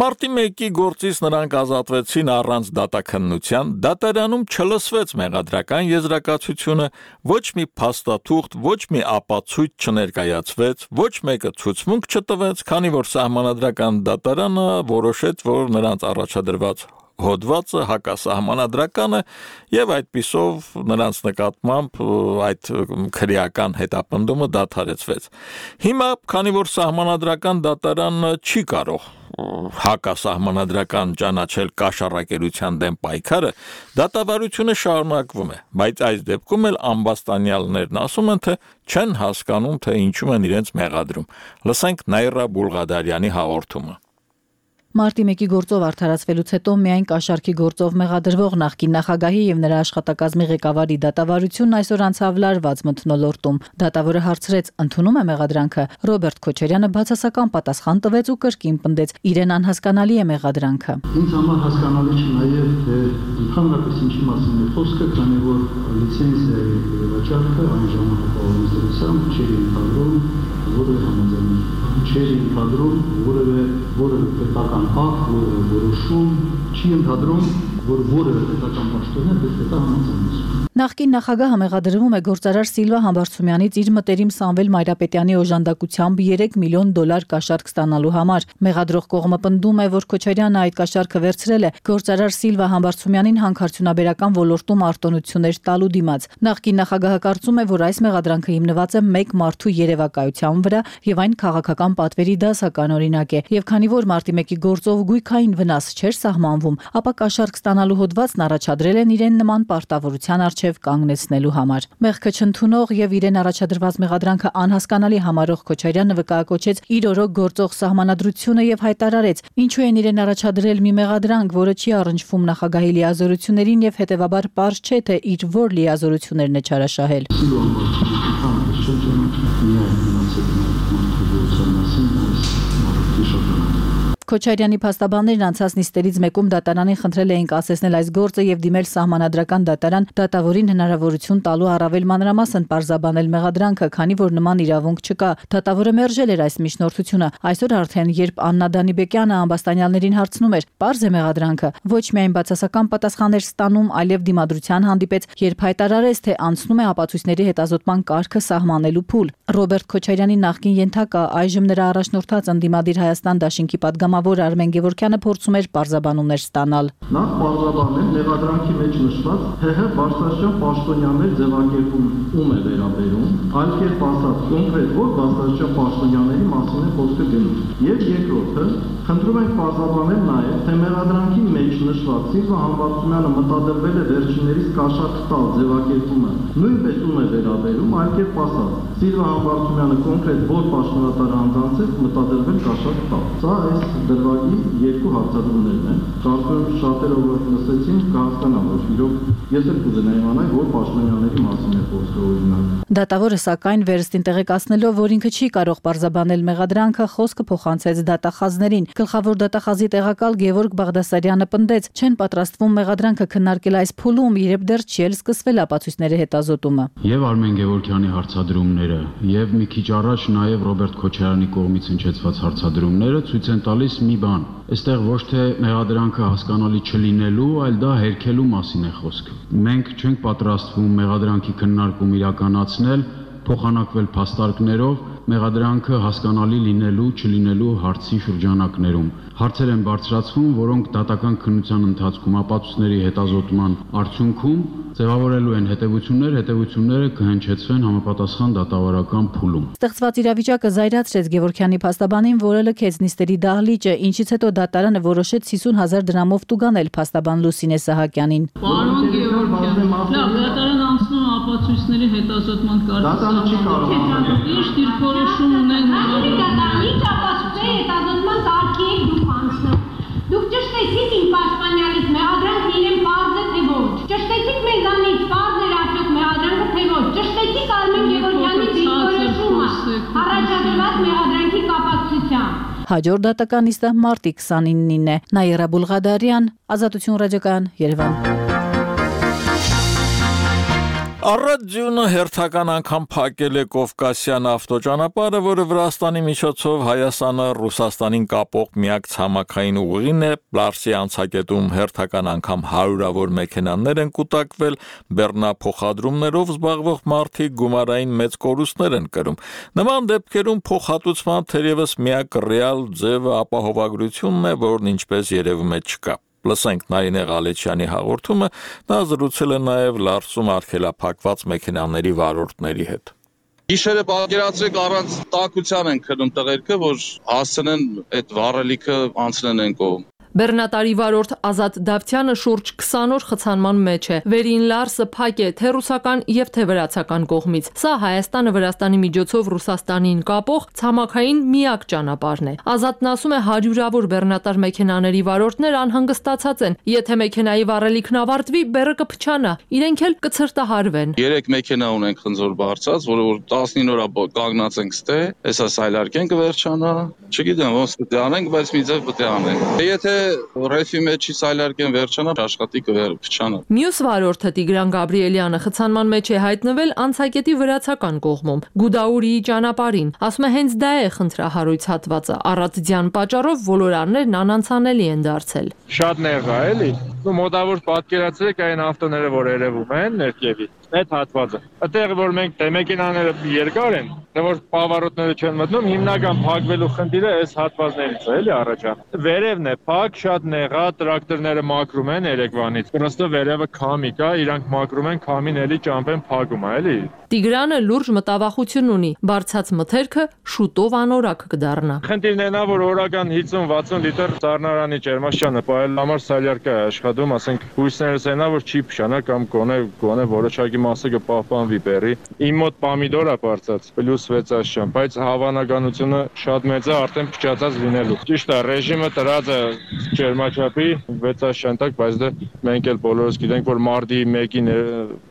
Մարտի մեկի գործից նրանք ազատվեցին առանց դատաքննության, դատարանում չլսվեց մեղադրական եզրակացությունը, ոչ մի փաստաթուղթ, ոչ մի ապացույց չներկայացվեց, ոչ մեկը ցուցմունք չտվեց, քանի որ սահմանադրական դատարանը որոշեց, որ նրանց առաջադրված հոդվածը հակասահմանադրական է եւ այդպիսով նրանց նկատմամբ այդ քրեական հետապնդումը դադարեցվեց։ Հիմա, քանի որ սահմանադրական դատարանը չի կարող հակասահմանադրական ճանաչել կաշառակերության դեմ պայքարը, դատավարությունը շարունակվում է, բայց այս դեպքում էլ ամբաստանյալներն ասում են, թե չեն հասկանում, թե ինչու են իրենց մեղադրում։ Լսենք Նաիրա Բուլղադարյանի հաղորդումը։ Մարտի մեկի գործով արդարացվելուց հետո միայն կաշառքի գործով մեղադրվող նախկին նախագահի եւ նրա աշխատակազմի ղեկավարի դատավարությունն այսօր անցավ լարված մթնոլորտում։ Դատավորը հարցրեց, ընդունում է մեղադրանքը։ Ռոբերտ Քոչարյանը բացասական պատասխան տվեց ու կրկին պնդեց, իրեն անհասկանալի է մեղադրանքը։ Ինձ համար հասկանալի չէ նաեւ թե ընդհանրապես ինչի մասին է խոսքը, քանի որ լիցենզիայի վաճառքը այն ժամանակահատվածում չի ընդհանրում, որը համաձայն չէր ընդհանրում, որևէ որևէ պետական ակտ, որևէ որոշում չի ընդհանրում, որ որևէ պետական պաշտոնյա դեպի դա համաձայնություն։ Նախկին նախագահը մեղադրվում է գործարար Սիլվա Համբարձումյանից իր մտերիմ Սամվել Մայրապետյանի օժանդակությամբ երեք միլիոն դոլար կաշառք ստանալու համար։ Մեղադրող կողմը պնդում է, որ Քոչարյանը այդ կաշառքը վերցրել է գործարար Սիլվա Համբարձումյանին հանքարդյունաբերական ոլորտում արտոնություններ տալու դիմաց։ Նախկին նախագահը կարծում է, որ այս մեղադրանքը հիմնված է մեկ մարդու երևակայության վրա եւ այն քաղաքական պատվերի դասական օրինակ է, եւ քանի որ մարտի մեկի գործով գույքային վնաս չէր սահմանվում, ապա կաշառք ստանալու հոդվածն առաջադրել են իրեն նման պարտավորության առջև կանգնեցնելու համար։ Մեղքը չընդունող եւ իրեն առաջադրված մեղադրանքը անհասկանալի համարող Քոչարյանը վկայակոչեց իր օրոք գործող սահմանադրությունը եւ հայտարարեց, ինչու են իրեն առաջադրել մի մեղադրանք, որը չի առնչվում նախագահի լիազորություններին եւ հետեւաբար պարզ չէ, թե իր որ լիազորություններն է չարաշահել։ Քոչարյանի փաստաբաններն անցած նիստերից մեկում դատարանին խնդրել էին կասեցնել այս գործը եւ դիմել սահմանադրական դատարան դատավորին հնարավորություն տալու առավել մանրամասն պարզաբանել մեղադրանքը, քանի որ նման իրավունք չկա։ Դատավորը մերժել էր այս միջնորդությունը։ Այսօր արդեն, երբ Աննա Դանիբեկյանը ամբաստանյալներին հարցնում էր, պարզ է մեղադրանքը, ոչ միայն բացասական պատասխաններ ստանում, այլև դիմադրության հանդիպեց, երբ հայտարարեց, թե անցնում է ապացույցների հետազոտման կարգը սահմանելու փուլ։ Ռոբերտ Քոչարյանի նախկին ենթակա, այժմ նրա առաջնորդած ընդդիմադիր Հայաստան դաշինքի պատգամավոր Արմեն Գևորգյանը փորձում էր պարզաբանումներ ստանալ։ Նա պարզաբանել մեղադրանքի մեջ նշված ՀՀ բարձրաստիճան պաշտոնյաներ ձևակերպում ում է վերաբերում, այլ կերպ ասած, կոնկրետ որ բարձրաստիճան պաշտոնյաների մասին է խոսքը գնում։ Եվ երկրորդը, խնդրում ենք պարզաբանել նաև, թե մեղադրանքի մեջ նշված Սիլվա Համբարձումյանը մտադրվել է վերջիններիս կաշառք տալ ձևակերպումը նույնպես ում է վերաբերում, այլ կերպ ասած, Սիլվա Համբարձումյանը կոնկրետ որ պաշտոնատար անձանց է մտադրվել կաշառք տալ։ Սա այս դրվագի երկու հարցադրումներն են։ Կարծում եմ շատերը որ լսեցին կհասկանան, որ իրոք ես էլ կուզենայի իմանալ, որ պաշտոնյաների մասին է խոսքը օրինակ։ Դատավորը սակայն վերստին տեղեկացնելով, որ ինքը չի կարող պարզաբանել մեղադրանքը, խոսքը փոխանցեց դատախազներին։ Գլխավոր դատախազի տեղակալ Գևորգ Բաղդասարյանը պնդեց, չեն պատրաստվում մեղադրանքը քննարկել այս փուլում, երբ դեռ չի էլ սկսվել ապացույցների հետազոտումը։ Եվ Արմեն Գևորգյանի հարցադրումները, եւ մի քիչ առաջ նաեւ Ռոբերտ Քոչարյանի կողմից հնչեցված հարցադրումները ցույց են տալիս մի բան։ Այստեղ ոչ թե մեղադրանքը հասկանալի չլինելու, այլ դա հերքելու մասին է խոսքը։ Մենք չենք պատրաստվում մեղադրանքի քննարկում իրականացնել, փոխանակվել փաստարկներով մեղադրանքը հասկանալի լինելու չլինելու հարցի շրջանակներում։ Հարցեր են բարձրացվում, որոնք դատական քննության ընթացքում ապացույցների հետազոտման արդյունքում ձևավորելու են հետևություններ, հետևությունները կհնչեցվեն համապատասխան դատավարական փուլում։ Ստեղծված իրավիճակը զայրացրեց Գևորգյանի փաստաբանին, որը լքեց նիստերի դահլիճը, ինչից հետո դատարանը որոշեց հիսուն հազար դրամով տուգանել փաստաբան Լուսինե Սահակյանին։ Պարոն Գևորգյան, լավ, դատարանը անցնում է ապացույցների հետազոտման կարգին։ Ինչ դիրքորոշում ունեն դատարանի ապացույցների հետազոտման կարգի դուք անցնում։ Դուք ճշտեցիք իմ պաշտպանյալից մեղադրանքն իրեն պարզ է թե ոչ։ Ճշտեցիք մեզանից պարզ էր արդյոք մեղադրանքը թե ոչ։ Ճշտեցիք Արմեն Գևորգյանի դիրքորոշումը առաջադրված մեղադրանքի կապակցությամբ։ Հաջորդ դատական նիստը մարտի քսանինին է։ Նաիրա Բուլղադարյան, Ազատություն ռադիոկայան, Երևան։ Առաջյունը հերթական անգամ փակել է Կովկասյան ավտոճանապարհը, որը Վրաստանի միջոցով Հայաստանը Ռուսաստանին կապող միակ ցամաքային ուղին է։ Պլարսի անցակետում հերթական անգամ հարյուրավոր մեքենաներ են կուտակվել, բեռնափոխադրումներով զբաղվող մարդիկ գումարային մեծ կորուստներ են կրում։ Նման դեպքերում փոխհատուցման թերևս միակ ռեալ ձևը ապահովագրությունն է, որն ինչպես երևում է չկա։ Լսենք Նարինե Ղալեչյանի հաղորդումը, նա զրուցել է նաև Լարսում արգելափակված մեքենաների վարորդների հետ։ Գիշերը պատկերացրեք առանց տաքության են քնում տղերքը, որ հասցնեն այդ վառելիքը անցնեն են կողմ։ Բեռնատարի վարորդ Ազատ Դավթյանը շուրջ քսան օր խցանման մեջ է։ Վերին Լարսը փակ է թե ռուսական եւ թե վրացական կողմից։ Սա Հայաստանը Վրաստանի միջոցով Ռուսաստանին կապող ցամաքային միակ ճանապարհն է։ Ազատն ասում է հարյուրավոր բեռնատար մեքենաների վարորդներ անհանգստացած են։ Եթե մեքենայի վառելիքն ավարտվի, բեռը կփչանա, իրենք էլ կցրտահարվեն։ Երեք մեքենա ունենք խնձոր բարձած, որը որ տասնինը օր կանգնած ենք ստե, հեսա սայլարկեն կվերջանա։ Չգիտեմ ոնց պետք է անենք, բայց մի ձև պետք է անենք։ Եթե ռեֆի մեջի սայլարկեն վերջանա, աշխատիկը վերջանա։ Մյուս վարորդը Տիգրան Գաբրիելյանը խցանման մեջ է հայտնվել անցակետի վրացական կողմում, Գուդաուրիի ճանապարհին։ Ասում է հենց դա է խնդրահարույց հատվածը։ Առատիդյան պատճառով ոլորաններն անանցանելի են դարձել։ Շատ նեղ է, էլի։ Ու մոտավոր պատկերացրեք այն ավտոները, որ երևում են ներքևի։ Այդ հատվածը։ Այդտեղ որ մենք դե մեքենաները երկար են, թե որ պավարոտները չեն մտնում, հիմնական փակվելու խնդիրը այս հատվածներից է, էլի առաջան։ Վերևն է փակ, շատ նեղա, տրակտորները մաքրում են երեկվանից։ Պրոստը վերևը քամի կա, իրանք մաքրում են, քամին էլի ճամփեն փակում է, էլի։ Տիգրանը լուրջ մտավախություն ունի, բարձած մթերքը շուտով անորակ կդառնա։ Խնդիրն է նա, որ օրական հինգ վաթսուն լիտր ծառնարանի ջերմաստիճանը պահել համար սալյարկա է աշխատում, ասենք հույսներս են, որ չի փշանա կամ գոնե գոնե որոշակի մասը կպահպանվի բեռի։ Իմ մոտ պամիդոր է բարձած, պլյուս վեց աշճան, բայց հավանականությունը շատ մեծ է արդեն փչացած լինելու։ Ճիշտ է, ռեժիմը տրած է ջերմաչափի վեց աշճան տակ, բայց դե մենք էլ բոլորս գիտենք, որ մարտի մեկին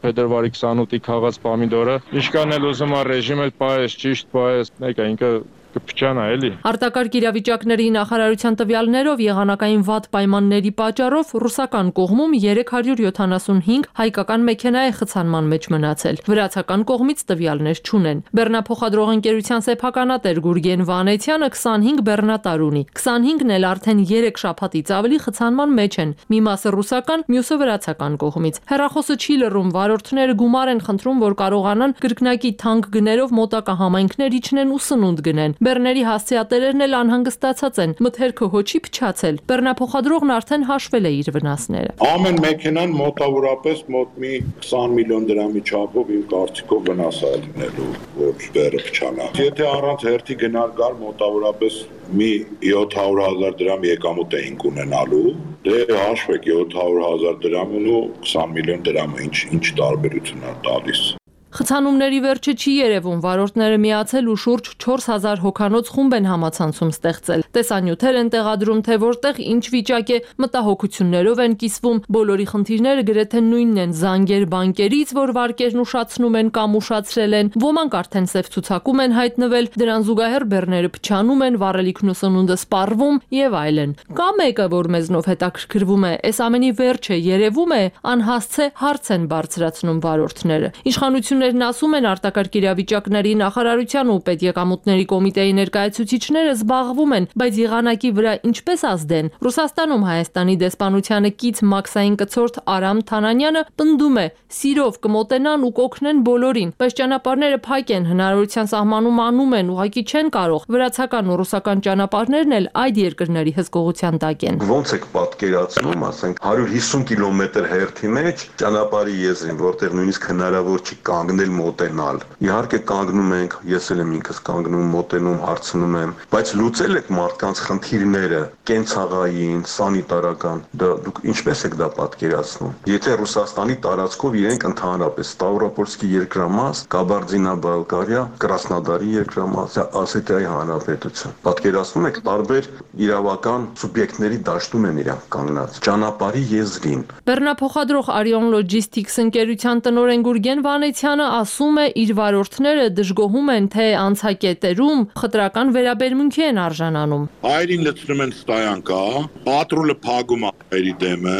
փետրվարի քսանութի քաղաց պամիդոր Ինչքան էլ ուզում է ռեժիմը պահես, ճիշտ պահես, մեկը ինքը կփչանա էլի։ Արտակարգ իրավիճակների նախարարության տվյալներով եղանակային վատ պայմանների պատճառով ռուսական կողմում երեք հարյուր յոթանասունհինգ հայկական մեքենա է խցանման մեջ մնացել։ Վրացական կողմից տվյալներ չունեն։ Բեռնափոխադրող ընկերության սեփականատեր Գուրգեն Վանեցյանը քսանհինգ բեռնատար ունի։ քսանհինգն էլ արդեն երեք շաբաթից ավելի խցանման մեջ են։ Մի մասը ռուսական, մյուսը վրացական կողմից։ Հեռախոսը չի լռում, վարորդները գումար են խնդրում, որ կարողանան կրկնակի թանկ գներով մոտակա համայնքներ իջնեն ու սնունդ գնեն։ Բեռների հասցեատերերն էլ անհանգստացած են, մթերքը հոչի փչացել։ Բեռնափոխադրողն արդեն հաշվել է իր վնասները։ Ամեն մեքենան մոտավորապես մոտ մի քսան միլիոն դրամի չափով իմ կարծիքով վնաս է լինելու, որ բեռը փչանա։ Եթե առանց հերթի գնալ գար մոտավորապես մի յոթ հարյուր հազար դրամ եկամուտ էինք ունենալու, դե հաշվեք յոթ հարյուր հազար դրամն ու քսան միլիոն դրամը ինչ ինչ տարբերություն է տալիս։ Խցանումների վերջը չի երևում, վարորդները միացել ու շուրջ չորս հազար հոգանոց խումբ են համացանցում ստեղծել։ Տեսանյութեր են տեղադրում, թե որտեղ ինչ վիճակ է, մտահոգություններով են կիսվում, բոլորի խնդիրները գրեթե նույնն են՝ զանգեր բանկերից, որ վարկերն ուշացնում են կամ ուշացրել են, ոմանք արդեն սև ցուցակում են հայտնվել, դրան զուգահեռ բեռները փչանում են, վառելիքն ու սնունդը սպառվում եւ այլն։ Կա մեկը, որ մեզնով հետաքրքրվում է, այս ամենի վերջը երևում է, անհասցե հարց են բարձրացնում վարորդները։ Իշխանություն Պետություններն ասում են, արտակարգ իրավիճակների նախարարության ու պետեկամուտների կոմիտեի ներկայացուցիչները զբաղվում են, բայց եղանակի վրա ինչպես ազդեն։ Ռուսաստանում Հայաստանի դեսպանությանը կից Մաքսային կցորդ Արամ Թանանյանը պնդում է, սիրով կմոտենան ու կօգնեն բոլորին, բայց ճանապարհները փակ են, հնարավորության սահմանում անում են, ուղղակի չեն կարող։ Վրացական ու ռուսական ճանապարհներն էլ այդ երկրների հսկողության տակ են։ Ոնց եք պատկերացնում, ասենք հարյուր հիսուն կիլոմետր հերթի մեջ ճանապարհի եզրին, որտեղ նույնիսկ հնարավոր չի կանգնել մոտենալ։ Իհարկե կանգնում ենք, ես էլ եմ ինքս կանգնում, մոտենում, հարցնում եմ, բայց լուծել եք մարդկանց խնդիրները, կենցաղային, սանիտարական, դա դուք ինչպես եք դա պատկերացնում։ Եթե Ռուսաստանի տարածքով իրենք ընդհանրապես Ստավրոպոլսկի երկրամաս, Կաբարդինա-Բալկարիա, Կրասնոդարի երկրամաս, Ասետիայի հանրապետություն։ Պատկերացնում եք տարբեր իրավական սուբյեկտների դաշտում են իրանք կանգնած ճանապարհի եզրին։ Բեռնափոխադրող Arion Logistics ընկերության տնօրեն Գուրգեն Վանեցյանը ասում է, իր վարորդները դժգոհում են, թե անցակետերում խտրական վերաբերմունքի են արժանանում։ Այրին լցնում են ստայանկա, պատրոլը փակում է այրի դեմը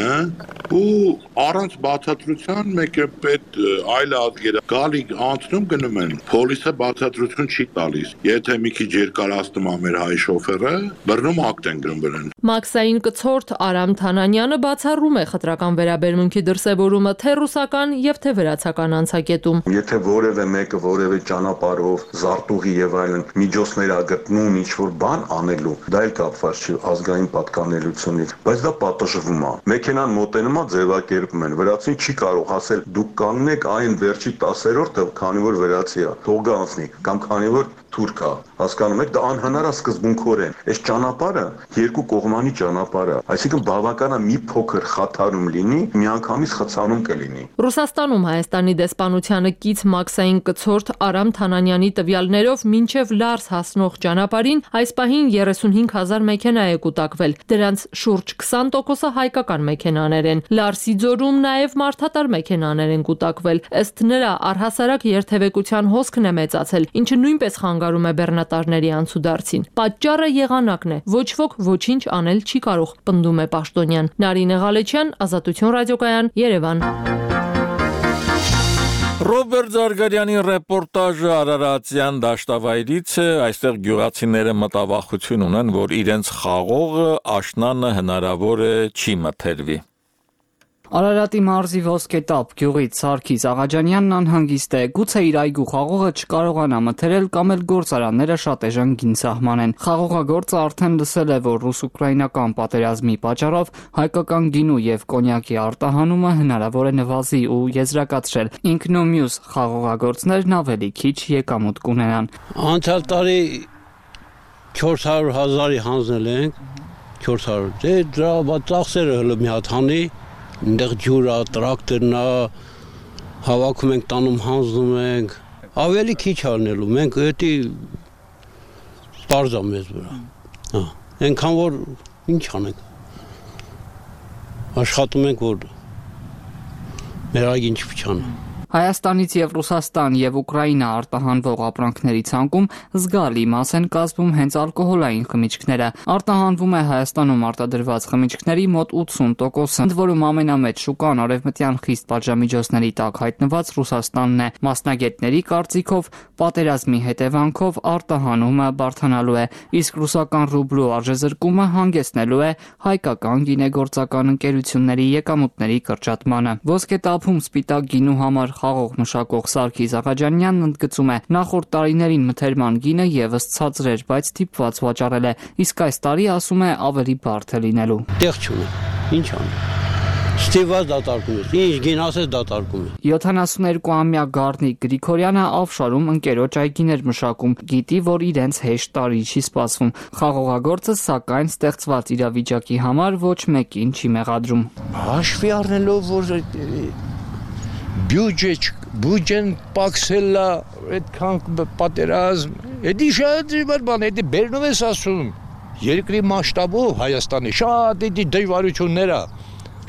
ու առանց բացատրության մեկը պետ այլ ազգերը գալի անցնում գնում են։ Պոլիսը բացատրություն չի տալիս։ Եթե մի քիչ երկարացնում է մեր հայ շոֆերը, բռնում ակտ են գրում։ Մաքսային կցորդ Արամ Թանանյանը բացառում է խտրական վերաբերմունքի դրսևորումը թե ռուսական եւ թե վրացական անցակետում։ Եթե որևէ մեկը որևէ ճանապարհով զարտուղի եւ այլն միջոցներ ա գտնում ինչ-որ բան անելու, դա էլ կապված չի ազգային պատկանելությունից, բայց դա պատժվում է։ Մեքենան մոտենում է, ձևակերպում են։ Վրացին չի կարող ասել դուք կանգնեք այն վերջի տասերորդը, քանի որ վրացի է, թող գա անցնի, կամ քանի որ թուրք է, հասկանում եք, դա անհնար է սկզբունքորեն։ Այս ճանապարհը երկու կողմանի ճանապարհ է, այսինքն բավական է մի փոքր խաթարում լինի, միանգամից խցանում կլինի։ Ռուսաստանում Հայաստանի դեսպանությանը կից Մաքսային կցորդ Արամ Թանանյանի տվյալներով մինչև Լարս հասնող ճանապարհին այս պահին երեսունհինգ հազար մեքենա է կուտակվել։ Դրանց շուրջ քսան տոկոսը հայկական մեքենաներ են։ Լարսի ձորում նաև մարդատար մեքենաներ են կուտակվել։ Ըստ նրա առհասարակ երթևեկության հոսքն է մեծացել, ինչը նույնպես խանգարում է բեռնատարների անցուդարձին։ Պատճառը եղանակն է։ Ոչ ոք ոչինչ անել չի կարող, պնդում է պաշտոնյան։ Նարինե Ղալեչյան, Ազատություն ռադիոկայան, Երևան։ Ռոբերտ Զարգարյանի ռեպորտաժը Արարատյան դաշտավայրից է, այստեղ գյուղացիները մտավախություն ունեն, որ իրենց խաղողը աշնանը հնարավոր է չի մթերվի։ Արարատի մարզի Ոսկետապ գյուղից Սարգիս Աղաջանյանն անհանգիստ է, գուցե իր այգու խաղողը չկարողանա մթերել կամ էլ գործարանները շատ էժան գին սահմանեն։ Խաղողագործը արդեն լսել է, որ ռուս-ուկրաինական պատերազմի պատճառով հայկական գինու եւ կոնյակի արտահանումը հնարավոր է նվազի ու եզրակացրել։ Ինքն ու մյուս խաղողագործներն ավելի քիչ եկամուտ կունենան։ Անցյալ տարի չորս հարյուր հազարի հանձնել ենք, չորս հարյուր, դե դրա ծախսերը հələ մի հատ հանի Այնտեղ ջուրա, տրակտորն է, հավաքում ենք, տանում հանձնում ենք, ավելի քիչ անելու, մենք էդի պարզ է մեզ վրա, այնքան որ ինչ անենք, աշխատում ենք, որ մեր այգին չփչանա։ Հայաստանից եւ Ռուսաստան եւ Ուկրաինա արտահանվող ապրանքների ցանկում զգալի մաս են կազմում հենց ալկոհոլային խմիչքները։ Արտահանվում է Հայաստանում արտադրված խմիչքների մոտ ութսուն տոկոսը, ընդ որում ամենամեծ շուկան արևմտյան խիստ պատժամիջոցների տակ հայտնված Ռուսաստանն է։ Մասնագետների կարծիքով պատերազմի հետևանքով արտահանումը բարդանալու է, իսկ ռուսական ռուբլու արժեզրկումը հանգեցնելու է հայկական գինեգործական ընկերությունների եկամուտների կրճատմանը։ Ոսկետափում սպիտակ գինու համար խաղող մշակող Սարգիս Աղաջանյանն ընդգծում է, նախորդ տարիներին մթերման գինը եւս ցածր էր, բայց դիպված վաճառել է, իսկ այս տարի ասում է ավելի բարդ է լինելու։ Տեղ չունի, ինչ անի։ Ստիված դատարկում է, ինչ գին ասես դատարկում է։ յոթանասուներկուամյա Գառնիկ Գրիգորյանը Ավշարում ընկերոջ այգիներ մշակում, գիտի, որ իրենց հեշտ տարի չի սպասվում։ Խաղողագործը սակայն ստեղծված իրավիճակի համար ոչ մեկին չի մեղադրում։ Հաշվի առնելով, որ բյուջե բյուջեն պակսել է, այդքան պատերազմ, էդի շատ դժվար բան, էդի բերնում ես ասում, երկրի մասշտաբով Հայաստանի շատ էդի դժվարություններ է,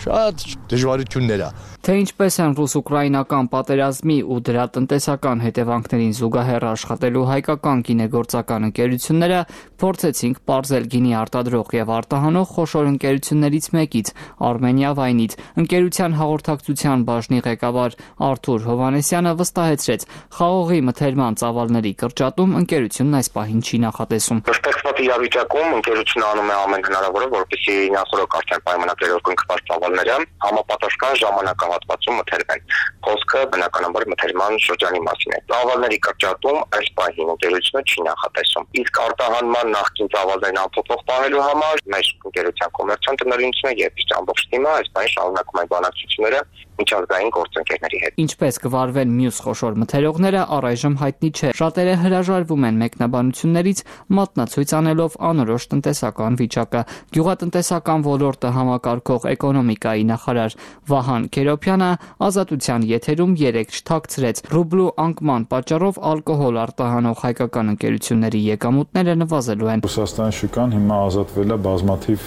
շատ դժվարություններ է։ Թե ինչպես են ռուս-ուկրաինական պատերազմի ու դրա տնտեսական հետևանքներին զուգահեռ աշխատելու հայկական գինեգործական ընկերությունները, փորձեցինք պարզել գինի արտադրող եւ արտահանող խոշոր ընկերություններից մեկից, Արմենիա Վայնից։ Ընկերության հաղորդակցության բաժնի ղեկավար Արթուր Հովհաննեսյանը վստահեցրեց, խաղողի մթերման ծավալների կրճատում ընկերությունն այս պահին չի նախատեսում։ Ստեղծված իրավիճակում ընկերությունը անում է ամեն հնարավորը, որպեսզի նախորդ արդեն պայմանագրերով կնքված ծավալները համապատասխան ժամանակահատվածում մթերվեն։ Խոսքը բնականաբար մթերման շրջանի մասին է։ Ծավալների կրճատում այս պահին ընկերությունը չի նախատեսում։ Իսկ արտահանման նախկին ծավալներն անփոփոխ պահելու համար մեր ընկերության կոմերցիոն տնօրինությունը եւ իսկ ամբողջ թիմը այս պահին շարունակում են բանակցությունները միջազգային գործընկերների հետ։ Ինչպես կվարվեն մյուս խոշոր մթերողները, առայժմ հայտնի չէ։ Շատերը հրաժարվում են մեկնաբանություններից, մատնացույց անելով անորոշ տնտեսական վիճակը։ Գյուղատնտեսական ոլորտը համակարգող էկոնոմիկայի նախարար Վահան Քերոփյանը ազատության եթերում երեկ չթաքցրեց, ռուբլու անկման պատճառով ալկոհոլ արտահանող հայկական ընկերությունների եկամուտները նվազելու են։ Ռուսաստանի շուկան հիմա ազատվել է բազմաթիվ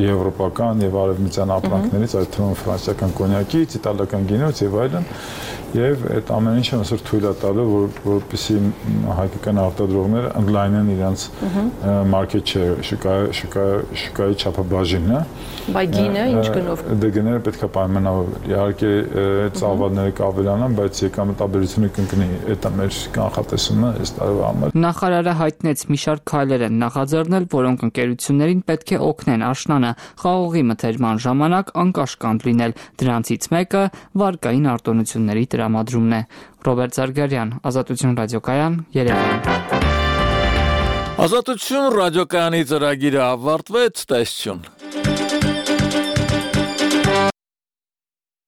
եվրոպական եւ արևմտյան ապրանքներից, այդ թվում ֆրանսիական կոնյակից, իտալական գինուց եւ այլն, եւ այդ ամեն ինչը այսօր թույլ է տալու, որ որպեսզի հայկական արտադրողները ընդլայնեն իրենց մարքեթ շեյր, շուկայի շուկայի չափաբաժինը։ Բայց գինը ինչ գնով։ Դե գները պետք է պայմանավորվել։ Իհարկե ծավալները կավելանան, բայց եկամտաբերությունը կընկնի։ Դա մեր կանխատեսումը այս տարվա համար։ Նախարարը հայտնեց մի շարք քայլեր են նախաձեռնել, որոնք ընկերություններին պետք է օգնեն աշնանը խաղողի մթերման ժամանակ անկաշկանդ լինել։ Դրանցից մեկը վարկային արտոնությունների տրամադրումն է։ Ռոբերտ Զարգարյան, Ազատություն ռադիոկայան, Երևան։ Ազատություն ռադիոկայանի ծրագիրը ավարտվեց, տեսություն։